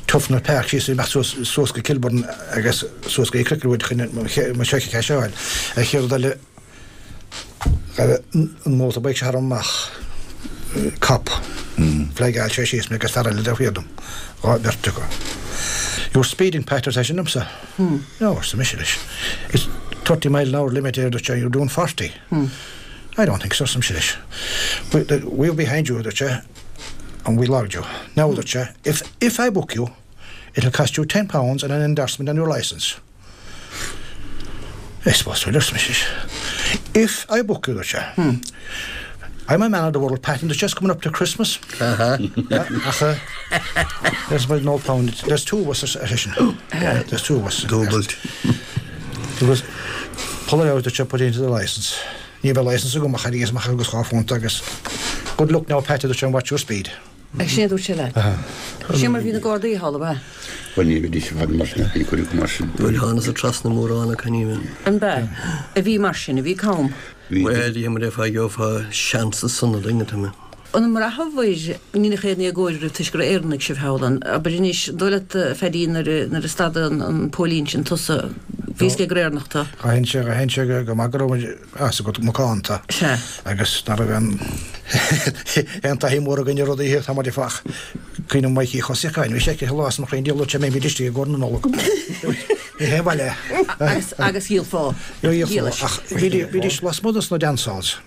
Tufnell Park síos ag imeacht suas, suas go Kilburn agus suas go Cricklewood chun mo seic a chaiseáil. An chéad rud eile, raibh an motorbike seo tharam amach, cop, flagáil sé síos mé agus fear eile taobh thiar dom, beirt acu. You're speeding Pat, ar seisean liomsa. No, arsa mise leis. It's 30 mile an hour limit here, dúirt sé, you're doing 40. I don't think so, arsa mise leis. We're behind you, dúirt sé, and we logged you. Now, dúirt sé, if, if I book you, it'll cost you £10 and an endorsement on your licence. I suppose so, arsa mise leis. If I book you, dúirt sé, I'm a man of the world, Pat, and it's just coming up to Christmas. Ach, there's about no pound. There's two of us, ar seisean. There's two of us. Dúbailt. There was pull it out that you put into the licence. Ní raibh licence agam ach thairgeas amach agus £2 agus good luck now, Pat, a dúirt sé, and watch your speed. Ach sin é a dúirt sé leat. Sin mar a bhí na Gardaí thall, ab ea? Bhuel, ní bhídís i bhfad mar sin, ach bhí cuid acu mar sin. Bhuel, thánas trasna mórán acu, ní bhíonn. An b'ea? A bhí mar sin, a bhí cam. Bhuel, dhé mar a gheofá seans ansan a dhuine, tá mé. An mbraitheabhair go ndéanfadh aon éagóir oraibh toisc gur Éireannaigh sibh thall ann? Abair anois, an dóigh leat, a Phaddy, nuair a, nuair a stadadh an, an póilín sin tusa, bhí fhios aige gur Éireannach tú? D'aithin sé, d'aithin sé go maith go raibh muid, as a gcuid macánta. Sea. Agus ná raibh aon, aon taithí mhór againn ar rudaí, tá muid ag fach. Cuimhním Mikey Uí Chosaíocháin, bhí sé aici lá is mo chroí diabhal dúirt sé mbeimid istigh i gcomhair na Nollag. Ní haon bhaile é. Agus, agus dhíolfá. Dhíolfá. Ach bhídís lasmuigh dos na dance halls.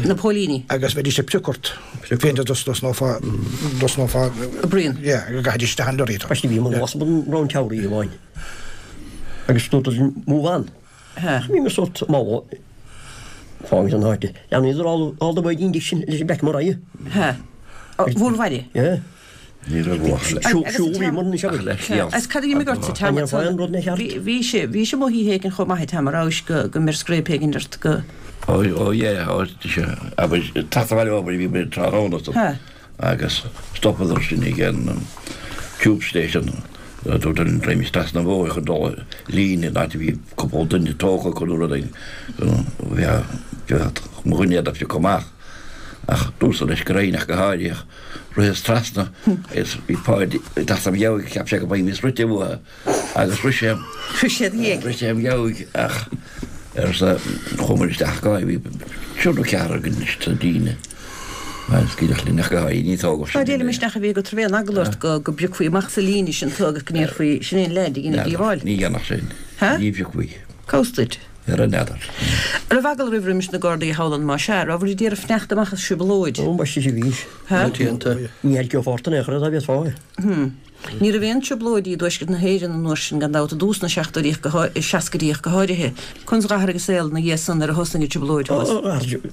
Na póilíní. Agus bheidís ag prioc ort. Féin dtosnófá, dtosnófá. Bruíon. Yeah, go gcaithfidís isteach an lorry. Bhí mé lasmuigh den Round Tower oíche amháin agus dúirt move on. Bhí mé sórt mall fágaint an áite. Leanadar all all the way dtí sin leis an Blackmore Eye. Ha. Bhur bhaile? Yeah. Ní raibh uacht leis. Siúl bhí mar anois agat. Agus cad a d'imigh ort sa t-am An rud na cheart? Bhí sé, bhí sé amuigh oíche éigin chomh maith an t-am a rabhais go go mbeir scréip éigin ort go. Ó ó yeah ó abair teacht abhaile ó obair bhí mé tráthnóna Ha. agus stopadar sinn ag an tube station dúirt an dream trasna an bhóthair chun dul líne in áit a bhí cúpla duine tógtha acu nó rud éigin bheadh mo dhuine iad a phiocadh amach ach dúirt leis go raibh ach go háirithe Ritheas trasna agus bhí Páidí ag teacht im dheabhaidh, cheap sé go mbeimis rite uathu agus rith sé, Rith sé id dhiaidh. rith sé im dheabhaidh ach arsa, chuamar isteach go bhí triúr nó ceathrar againn sa líne agus gineadh linn ach go háirithe ní tógadh Dá sin dtéilim isteach a bhí agat raibh aon eagla ort go go bpiocfaí amach sa líne sin tú agus go ndéarfaí sin é an leaid a dhein an díobháil. Ní dhéanfadh sin. Ha? Ní phiocfaí. Cá bhfios duit? Ar an n'fheadar. An raibh eagla oraibh roimis na Gardaí thall ann má sea, rabhabhair ag iarraidh fanacht amach as trioblóid? Ó, ambaiste sea bhís. Ha? Ní airgeofá ort in aon chor é dá bhféadfá é. Hm. Ní raibh aon trioblóidí i dtuaisceart na hÉireann an uair sin gan dabht, i dtús na seachtóidí ach go seascaidí ach go háirithe. Conas d'athraigh an saol ina dhiaidh san nuair a thosnaigh an trioblóid thuas? Ó,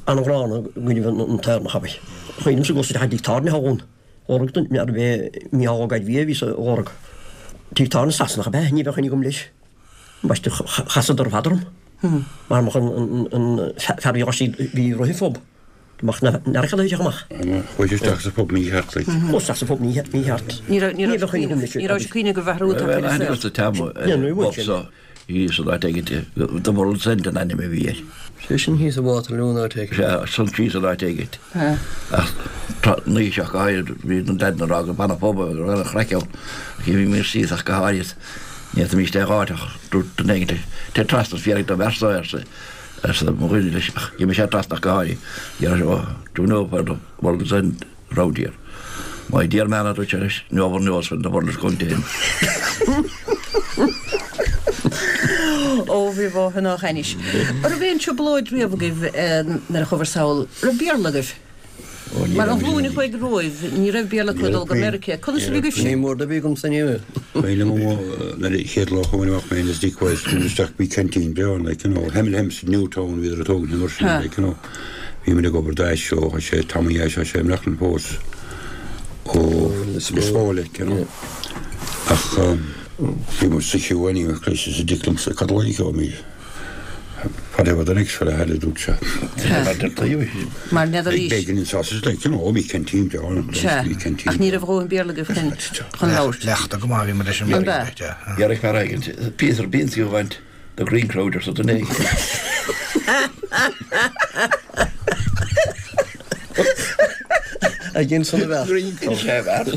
an-ghránna i gcoinnibh an tÉireannach abair. Chuimhním sa gcos isteach i dtigh tábhairne thall ann. Lorg don, n'fheadar ab é Mícheál Ó Gairbhí a bhí sa lorg. Tigh tábhairne Sasanach ab ea, ní bheadh cuimhne agam leis. Ambaiste chasadar ar fad orm. Mar mbeadh an fear a bhí istigh bhí roimh an phub. Mbeadh na n'fhear a amach. Chuaigh sé isteach sa phub mícheart like. Chuaigh isteach sa phub mícheart. Ní raibh ní raibh cuimhne ní raibh sé cuimhne go bhfear úd ar an saol. Thíos an áit éigin, The World's End an ainm a bhí air. Sé sin thíos i Waterloo an áit éigin. Sea, san thíos an áit éigin. Ach na oíche ach go háirid, bhí na leaideanna ag rá gur b'an an pub é, go raibh an-chraic ann. Ach bhí mé síos ach go háirid, ní fhéadfaimis é a dh'áit ach dúirt duine éigin, téir trasna is fiafraigh den bhfear so, arsa, arsa mo dhuine leis, ach gheibh mise trasna ach go háirid. Dhear, oh, do you know where the World's End round here. My dear man, a dúirt sé leis, no one knows when the world is going to end. Ó, bhí bhóthair ná anois. An raibh aon trioblóid riamh agaibh nuair a chuabhair sall? Raibh Béarla agaibh? Mar an ghlúin a chuaigh romhaibh, ní raibh Béarla acu ag dul go Meiriceá. Conas a bhí agaibhse? Ní mór do bhí agamsa ní raibh. Cuimhin liom nuair a chéad lá a chuaigh mé amach mé is Dick West, isteach bhí canteen breá ann, like, you know, Hemel Hempstead, Newtown, bhíodar ag tógaint an uair sin, like, you know. Bhí muid ag obair d'Aiseo, tá sé Tommy Ashe, tá sé i mBreaclainn fós ó Lios Póil, like, you know. Ach bhí muid sa chiú anyway, Chris is a Dick liomsa, cad a loiceoimid? Whatever the next fella had, a dúirt sé. Mar n'fheadar aois. Bacon and sausage, like, you know, bhí canteen breá ann, Sea, bhí canteen ach ní raibh a dhóthain Béarla agaibh chun chun labhairt. Cleachta go maith a bhí muid leis an An mBéarla, b'ea? yeah. Dhearg fear éigin, Peter Beans you want. The green crowd arsa duine éigin. Ag insan a bheart. Green crowd. Sé bheart.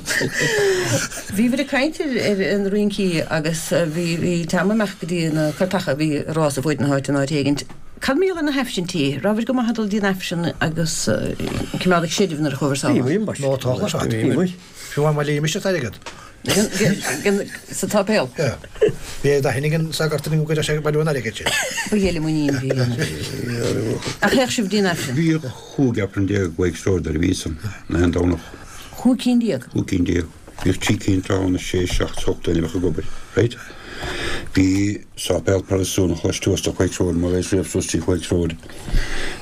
Bhíobhair ag caint ar ar na rincí agus bhí bhí Tom amach go dtí na cairteacha a bhí ag rás i bhfuaid na háite in áit éigint. Cad mar gheall ar na haifrintí? Rabhaibh go maith ag dul dtí an Aifreann agus cimeád ag seirbh nuair a chuabhair sall? Bhí muid, ambaiste. Nó tá a Bhí muid. Fiú amháin má léimis an t-airgead. Sa tsáipéal? Yeah. Bhí d'aithne ag an sagart go gcuireadh sé ag bailiú an airgid sin. Ba gheile muinín a bhí ann. Ach théadh sibh dtí an Aifreann? Bhíodh 15 Aifreann i Wakes Road ar a bhí san, na haon Domhnach. Chúig cinn déag? Chúig cinn déag. Bhíodh trí cinn tráthnóna, sé, seacht, ocht duine a bheadh ag obair. Right? Bhí sáipéal Protastúnach laistuas de Wakes Road, má bheas riamh suas trí Wakes Road.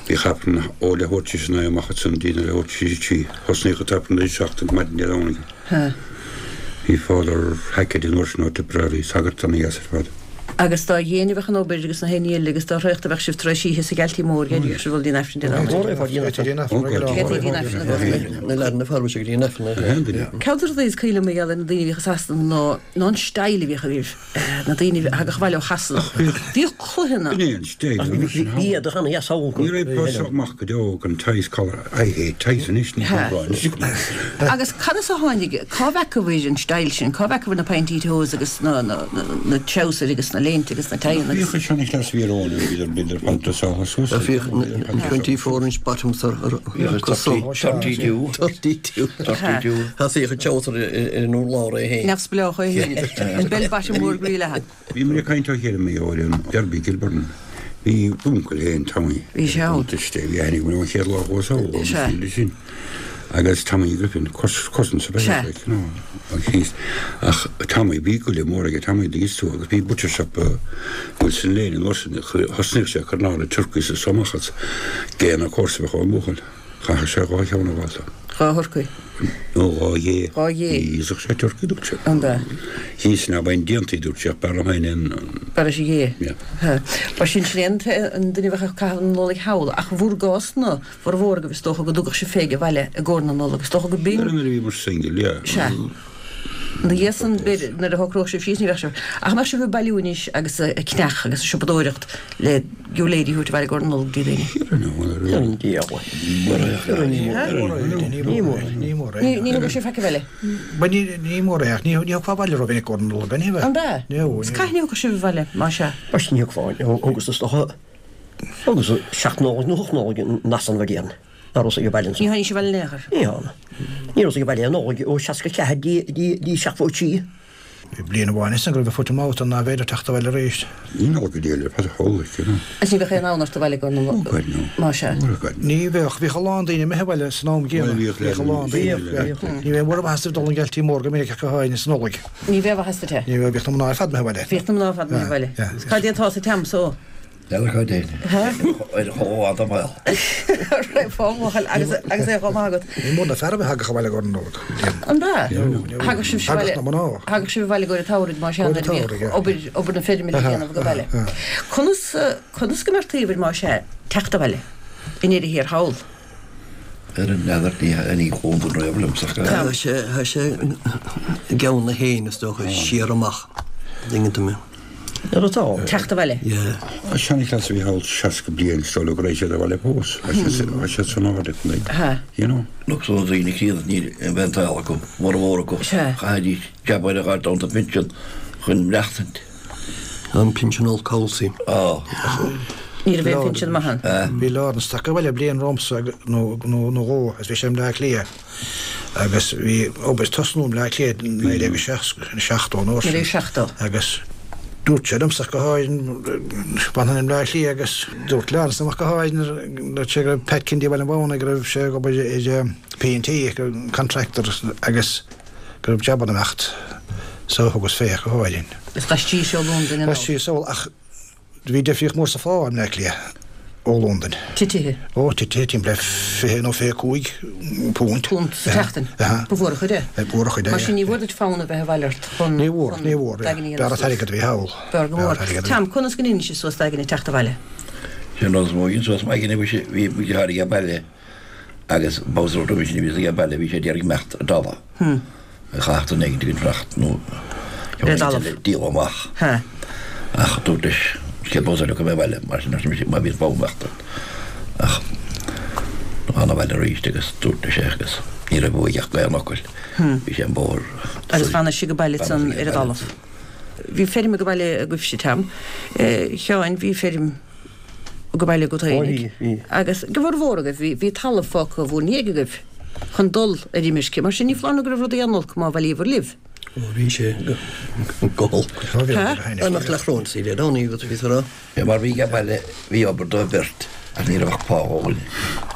Bhíodh Aifreann ó leathuair tar éis a naoi amach ansan dtí na leathuair tar éis a trí. Thosnaíodh an t-Aifreann ar a seacht an maidin Dé Domhnaigh. Bhí Father Hackett an uair sin ó Tipperary, sagart ana-dheas ar fad. Agus dá dhéine a bheadh an obair agus na haon ní eile agus dá thraochta a bheadh sibh tar éis oíche sa Ghealtaí Mór, gheibheadh sibh dul dtí an Aifreann Dé Domhnaigh. Gheibheadh dtí an Aifreann i gcónaí. Na leaideanna fear bhí sé go dtí an Aifreann. Ceann de na rudaí is cuimhin liom mar gheall ar na daoine a bhíodh i Sasana ná ná an style a bhíodh agaibh. Na daoine a thagadh abhaile ó Shasana. Bhíodh cluicheanna. B'in é an style. Ach bhí éadach ana-dheas ann. Ní raibh pus amach go deo gan ties collar. I hate ties anois, ní hamháin. Agus cad as a tháinig, cá bhfeacabhair an style sin, cá bhfeacabhair na pointy toes agus na treabhsair agus na léinte agus na tieanna agus. Bhíodh an seanchleas a bhí ar eoin, bhíodar bhíodar fad dreasáilte suas. Bhíodh 24 inch bottoms ar cosa. 32. 32. 32. Thosaíodh an treabhsar ar an urlár é féin. Neamhspleách é féin. An bell bottom mór groí leathan. Bhí muid ag caint ó chéile mé ar an Derby Gilburn. Bhí d'uncail féin Tommy. Bhí sé ann. Tuiste, bhí aithne agam air ón chéad lá a chuas thall, agus Sea. bhí sin. Agus Tommy Griffin, cousins ab ea Sea. like, you know, agus thíos. Ach Tommy, bhí goile mór aige Tommy, dtuigeann tú, agus bhí butcher shop Wilson Lane an uair sin, thosnaíodh sé ag cur an áirithe turkeys is amach as géanna comharsa a bheadh ón mbuachaill. Chaithfeadh sé dhá cheann a fháil. Dhá thurcaí. Nó dhá ghé. Dhá ghé. Ní íosfadh sé turcaí, dúirt sé. An ea? Thíos ná beinn déantaí, dúirt sé, ach b'fhearr liom féin an. B'fhearr leis an ghé. Yeah. Ha. Ba sin sin é an duine a bheadh ag caitheamh na Nollag thall, ach bhur gcás-na, bhformhór agaibh is dócha go dtugadh sibh Peig abhaile i gcomhair na Nollag. Is dócha go b'in. Nuair a bhíomar single, yeah. Sea. Ina dhiaidh san, b'fhéidir, nuair a shocródh sibh síos, ní bheadh sibh. Ach an mbeadh sibh ag bailiú anois agus ag ceannach agus ag siopadóireacht le giúirléidí a thabhairt abhaile i gcomhair na Nollag dtí daoine? Ní mór é. Ní mór é. Ní thugadh sibh faic abhaile? Bhuel, ní mór é ach ní thiocfá abhaile rómhinic i gcomhair na Nollag, ní bheadh? An ea? Is cathain a thiocfadh sibh abhaile, má sea? Bhuel, ní thiocfá, thugas is dócha, thugas seacht Nollaig nó hocht Nollaig in Asan bhliain. Ná raibh ag baile ansan. Ní tháinig sibh abhaile in aon chor? Ní thána. Ní raibh ag baile aon Nollaig ó 64 dtí 73. Bhí bliain amháin ansan go raibh foot and mouth ann nárbh fhéidir teacht abhaile arís. Ní Nollaig go dtí le Peadar Thólaigh, you know. Agus ní bheadh aon fhonn ort abhaile i gcomhair na Oh God no. Má sea. Oh God no. Ní bheadh. Bhíodh a lán daoine imithe abhaile san am gcéanna. Bhuel bhíodh Bhíodh a lán daoine. Bhíodh. Ní bheadh mórán maitheasa ag dul an Ghealtaí Mór go minic ach go háirithe san Nollaig. Ní bheadh maitheasa te. Ní bheadh. Bhíodh na mná ar fad imithe abhaile. Bhíodh na mná ar fad imithe abhaile. Yeah. Cad é atá sa t-am so? N'fheadar cá dtéinn. Ar chomh fada mall. Raibh fá bhuachaill agus agus é chomh maith agat. Ní mór na fear a bheith tagtha abhaile go Nollag. An b'ea? Thagadh sibh Thagadh na mná. Thagadh sibh abhaile i gcomhair an tsamhraidh más ea nuair a bhíodh obair obair na feirme le déanamh ag baile. Conas conas go mbeadh taobh air más ea teacht abhaile i ndeireadh thiar thall? Ar an n'fheadar ní ní chóntar riamh liomsa ach Tá sé tá sé i gceann na héin is dócha siar amach dtuigeann tú mé. Nuair atá. Teacht abhaile. Yeah. An seanchleas a bhí thall 60 bliain is dóigh go raibh siad abhaile fós. Tá siad san áireamh like, you know. Look so daoine críonna ní bheith an tsaol acu, mórmhór acu. Chaithfidís jab ar a ghaird ann don phinsean chun maireachtaint. An pinsean olc thall sí. Á. Ní raibh aon phinsean maith ann. Bhí Lawrence tagtha abhaile bliain romhamsa nó dhó agus bhí sé i mBleá Cliath agus bhí obair ag tosnú i mBleá Cliath i 1970 nó 1970. Agus dúirt sé liomsa ach go háirithe, b'ann i mBleá Cliath agus dúirt Lawrence liom ach go háirithe, dúirt sé go raibh Pat Kennedy i mBaile an Mhónaidh go raibh sé ag obair ar P&T, contractor agus go raibh jab ag imeacht so thugas fé ach go háirithe. Is d'aistrís ó Londain anall. D'aistrís anall ach bhí difríocht mór sa phá i mBleá Cliath ó Londain. Titithe. Ó, titithe timpeall le 20 nó 25 punt. Punt sa tseachtain. Aha. Ba mhór an chuid é. Ba mhór an chuid é. Mar sin ní bhfuair duit fonn a bheith abhaile ort chun. Ní bhfuair, ní bhfuair. B'fhearr an t-airgead a bhí thall. B'fhearr go mór. Tom, conas go ndeineadh sé suas d'aigne teacht abhaile? Sin rud is mó a dhein suas m'aigne, bhí mo dheartháir ag baile. Agus babhta roimhe sin a bhíos age baile bhí sé d'iarraidh imeacht i dtalamh. Chaithfeadh duine éigin den trácht nó Ar an dtalamh. díol amach. Ach dúirt leis chéad babhta eile go mbeidh abhaile mar sin arsa mise má bhíonn fonn imeachta. Ach thána abhaile arís agus dúirt leis é agus ní raibh uaidh ach aon fhocal. Bhí sé an bóthar. Agus bheannaigh sé go baile san ar an dtalamh. Bhí feirm ag baile agaibhse Tom. Sheáin bhí feirm. ag baile agat fhéinig. Agus go bhformhór agaibh, bhí, bhí talamh fágtha bhur ndiaidh agaibh chun dul ar imirce. Mar sin, ní foláir nó go raibh rudaí an-olc má bhailíobhair libh. Ó, bhí sé go holc. Amach le Chrónsaí Dé Domhnaigh agus bhí sa rá. Mar bhí ag baile, bhí obair do bheirt ach ní raibh ach pá do dhuine.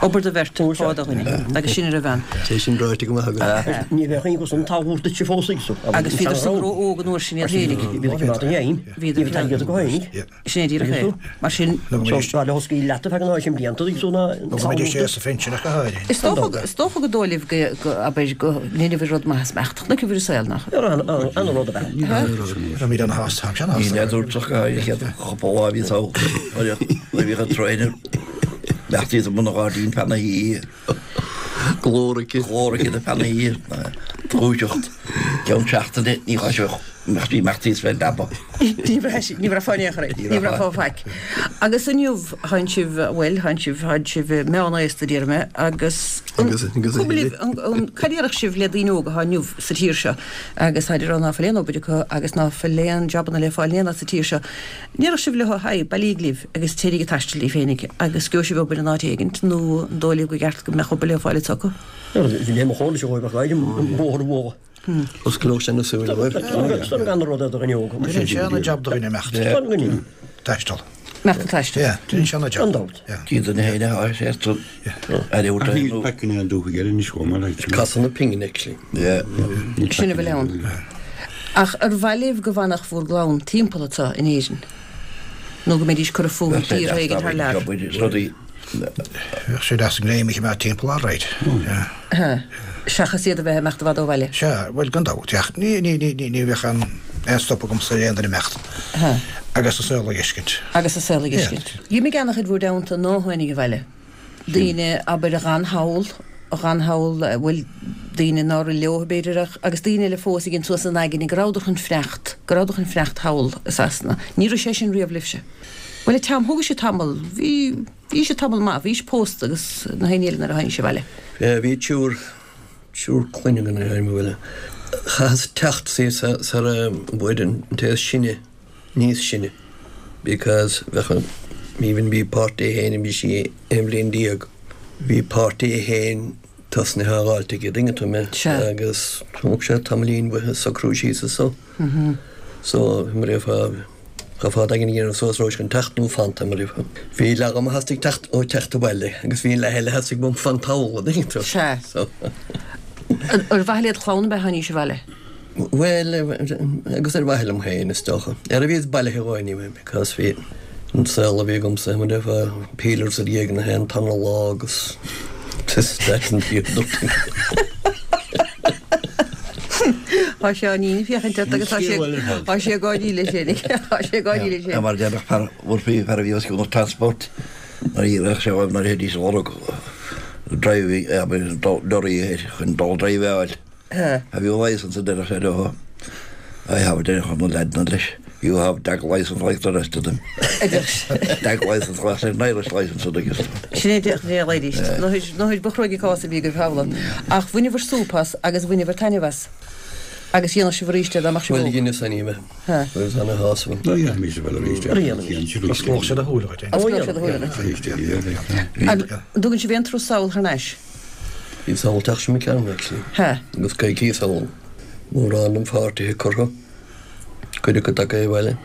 Obair do bheirt, pá do dhuine. Agus sin a raibh ann. Sé sin ráite go maith agat. Ní bheadh aon chos an talamh duitse fós ag so. Agus bhíodar san ró-óg an uair sin iad féinig. Bhíodar ag iad go féinig. Sin é díreach é. Mar sin. Is dócha, is dócha gur dóigh libh go, go, abair, go ndeinibh rud maith as imeacht. Chonaic sibh ar an saol, nach? Glór aici. Glór aici na feannaí dúiseacht ceann seachtaine ní chaithfeadh imeacht imeacht thíos fén leaba. Ní bhraithfeá ní bhraithfeá in aon chor é. Ní bhraithfeá faic. Agus inniu tánn sibh, bhuel, tánn sibh, tánn sibh meánaosta déarfaidh mé agus an Agus agus a cuma libh thuilleadh. an an cad a déarfadh sibh le daoine óga atá inniu sa tír seo agus táid ag rá ná fuil aon obair acu agus ná fuil aon jabanna le fáil in aon áit sa tír seo. An ndéarfadh sibh leo, haigh, bailíg libh agus téiríg ag taisteal daoibh féinig agus gheobhaidh sibh obair in áit éigint nó an dóigh libh go gceart go mbeadh obair le fáil anseo acu? Bhí mé i mo chónaí sa Ghóibh ach an bóthar a bhualadh. Osclódh sé na súile dóibh. Is gan rud ar do dhuine óg. Déanann sé ana jab do dhuine imeacht. Taisteal. Imeacht ag taisteal. Yeah, déanann sé ana jab. Gan dabht. Cíonn duine féin a sháith sé san aire Ach níl paiceanna an dúthaigh eile anois chomh maith like. Casadh na pingine actually. Yeah. Sin a bhfuil ann. Ach ar mhaith libh go bhfanfadh bhur gclann timpeall anseo in Éirinn? Nó go mbeidís curtha fúthu i dtíortha éigin thar lear? Bheadh sé deas an greim a choimeád timpeall alright. Yeah. Seachas iad a bheith ag imeacht i bhfad ó bhaile. Sea, bhuel gan dabht, ach ní, ní, ní, ní, ní bheadh aon, aon stop agamsa ar aon duine imeacht. Agus an saol a dh'fheiscint. Agus an saol a dh'fheiscint. D'imigh an-chuid bhur dteannta ná tháinig abhaile. Daoine, abair, a dh'fhan thall, a dh'fhan thall, bhuel, daoine nár fhill leo, b'fhéidir, ach, agus daoine eile fós a dhein suas a n-aigne go rabhadar chun fanacht, go rabhadar chun fanacht thall i Sasana. Ní raibh sé sin riamh libhse. Bhuel, a Tom, thóg sé tamall, bhí, bhí sé tamall maith, bhís pósta agus na haon ní eile nuair a tháinig sibh abhaile. Bhí triúr, triúr clainne againn nuair a tháinig mé abhaile. Chaitheas teacht síos sara bhfuair an té is sine níos sine because bheadh an even bhí páirtí é féin bhí sí 11 bhliain bhí páirtí é féin tosnaithe á dh'fháilt aige an dtuigeann tú mé agus thóg sé tamaillín uaithe socrú síos is so so mar a bheifeá Chaithfeá d'aigne a dhéanamh suas raibh sé chun teacht nó fanacht mar a bheifeá. Bhí leath dhom a theastaigh teacht ó teacht abhaile agus bhí an leath eile a theastaigh uaim fanacht thall an dtuigeann tú. Sea. So. Ar mhaithe led chlann ab ea tháinís abhaile? Bhuel, agus ar mhaithe liom féin, is dócha. Ar a bhíos bailithe dhó anyway, because bhí. An saol a bhí agamsa, mar a déarfá, peelers i ndiaidh na haon tarna lá agus this, that and the other thing. Tá Seáinín ag féachaint ort agus tá sé tá sé ag gáirí leis féinig. Tá sé ag gáirí leis féin. Mar déarfadh fear Murphy, fear a bhí os cionn an transport, nuair a bheadh sé uaim nuair a théidís ag lorg driving, abair, lorry chun dul drive a fháil. Have you a licence a deireadh sé leo. I have a deireadh na leaideanna leis. You have dag licence like the rest of them. Dag licence like an Irish licence a dtuigeas tú. Sin é déarfadh sé arís. Nó ba chruaidh an cás a bhí agaibh thall ann. Ach bhaineabhair súp as agus bhaineabhair taitneamh as. Agus dhéanfadh sibh arís é dá mbeadh sibh óg. Bhuel, dheineas anyway. Agus ana shásamh. Ná dhéanfaimis a bheith arís é. Osclódh sé do shúile dhuit. Osclódh sé do shúile dhuit. An dtugann sibh aon turas sall thar n-ais? Bhíos thall an tseachtain seo imigh tharainn actually. He. Agus coicíos thall. Mórán den pháirtithe curtha. Cuid acu tagtha abhaile.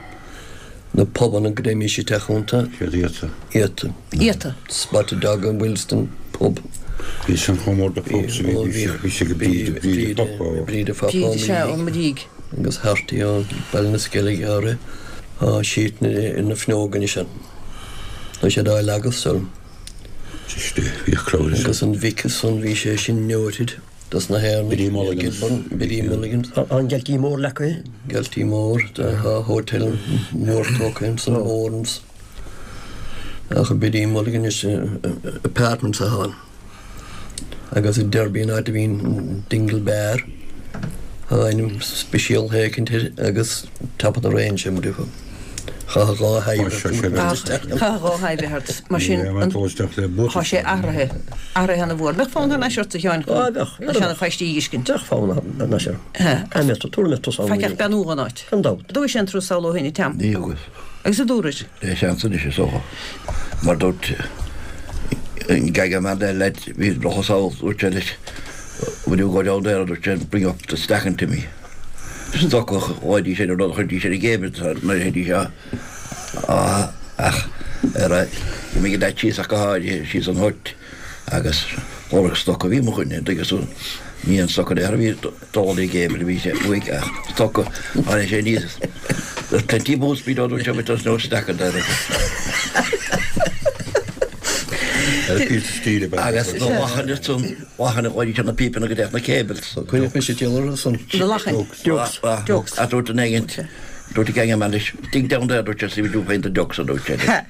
Na pubanna go dtéimís isteach iontu. Siad iata. Iata. Iata. Spotted Dog in Willesden pub. Bhí san chomh mór de pubs a bhí bhí sé go Bríde Bríde Pub ó. Bríde Pub Bríde sea ón Muirígh. Agus Harty ó Baile na Sceilge áirithe. Tá siad ina fuinneoga anois ann. Tá siad á leagadh so. Agus an Vic san bhí sé sin noted dos na hÉireannaigh. Biddy Mulligan's. Biddy Mulligan's. An Galtee Mór leagtha. Galtee Mór, tá hotel mór tógtha ansan, Moran's. Ach Biddy Mulligan is apartments atá ann. Agus i Derby an áit a bhíonn Dingle Bar, tá ainm speisialta éicint air agus top of the range é mar a déarfá. Chaithfeadh dhá Chaithfeadh dhá thaibh a bheith ort. Mar sin, tá sé athraithe, athraithe ana mhór. Bheadh fonn thar n-ais ort a Sheáin chun na seana phaistí a dh'fheiscint. Bheadh fonn thar n-ais orm. Caithfidh mé tabharfaidh mé tusa ann. Faic ach beannú dhon áit. Gan dabht. An dtugais aon turas sall ó shin, a Tom? Ní thugas. Agus an dtabharfair? Le seans anois is dócha. Mar dúirt an gaga man there leat, bhí dul sall, dúirt sé leis, will you go down there, dúirt sé, bring up the stacking to me. Stoc a chuiridís ar an rud a chuiridís ar an gcéibh nuair a théidís á ach ar a imigh an leaid síos ach go háirithe síos an hut agus lorg stoc a bhí mo choinne tuigeann tú ní an stoc ar a bhí dul ar an gcéibh a bhí sé uaidh ach stoc a tháinig sé aníos There's plenty of boats below dúirt sé but there's no stack in there. Agus na lachain san Lachain a chuiridís ar na pípeanna go dtéadh na cables. Coinneoidh mise diall orthu san. Na lachain. Dukes. Dukes. A dúirt an éigint. Dúirt an gang man leis, dig down there, dúirt sé, see what you find the ducks, a dúirt sé leis.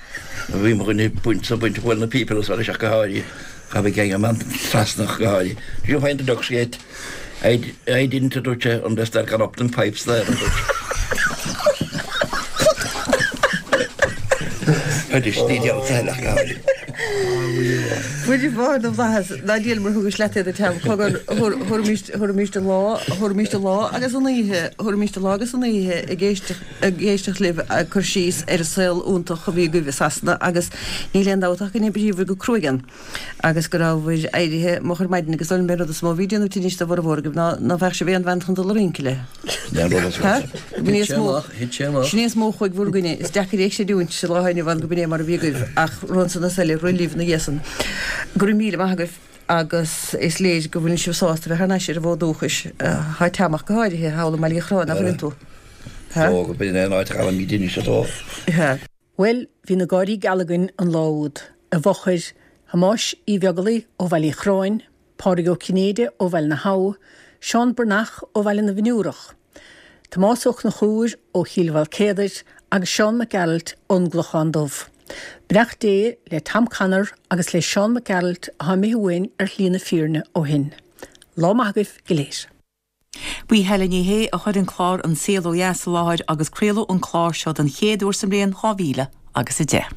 Bhí mo dhuine baint sa baint bhuail na pípeanna so leis ach go háirithe. Ghabh an gang man trasna ach go háirithe. Did you find the ducks yet? I, I didn't, a dúirt sé, unless they're gone up them pipes there, a dúirt sé. Anois, ní déarfadh sa eile ach go háirithe. Muire Mháthair na bhFlaitheas, ná díol mar thugais leat iad a Tom, cogar, thabharfaimis an lá, thabharfaimis an lá agus an oíche, thabharfaimis an lá agus an oíche ag éisteacht, ag éisteacht libh ag cur síos ar an saol iontach a bhí agaibh i Sasana agus níl aon dabht ach go n-oibríobhair go cruaidh ann. agus go rabhabhair éirithe moch ar maidin agus an rud is mó a bhí ag déanamh tinnis do bhformhór agaibh ná ná bheadh sibh aon bhean chun dul a rince le. Thit sé amach, thit sé amach. Sin é is mó a chuaigh bhur gcoinne. Is deacair é a chreidiúint sa lá inniu ann go b'in é mar a bhí agaibh ach rith ansan is eile, rith libh ina dhiaidh san. Go raibh míle maith agaibh agus is léir go bhfuileann sibh sásta bheith thar n-ais ar an bhfód dúchais. Tá Tom ach go háirithe thall i mBaile Uí Chorráin, nach bhfuileann tú? Ó, go b'in é an áit a ghabhaimid anois atá. Bhuel, bhí na gáirí geala againn an lá úd, i bhfochair Thomáis Uí Bheaglaoich ó Bhaile Uí Chorráin, Pádraig Ó Cinnéide ó Bhaile na hAbha, Seán Breathnach ó Bhaile na bhFionnúrach, Tomás Ó Conchúir ó Chill Mhaoilcéadair agus Seán Mac Gearailt ón gClochán Dubh. Beannacht Dé le Tom Connor agus le Seán Mac Gearailt atá imithe uainn ar shlí na fírinne ó shin. Lá maith agaibh go léir. B'í Helen Ní Shé a chuir an clár An Saol Ó Dheas i láthair agus craoladh an clár seo den chéad uair sa mbliain 2000 agus 10.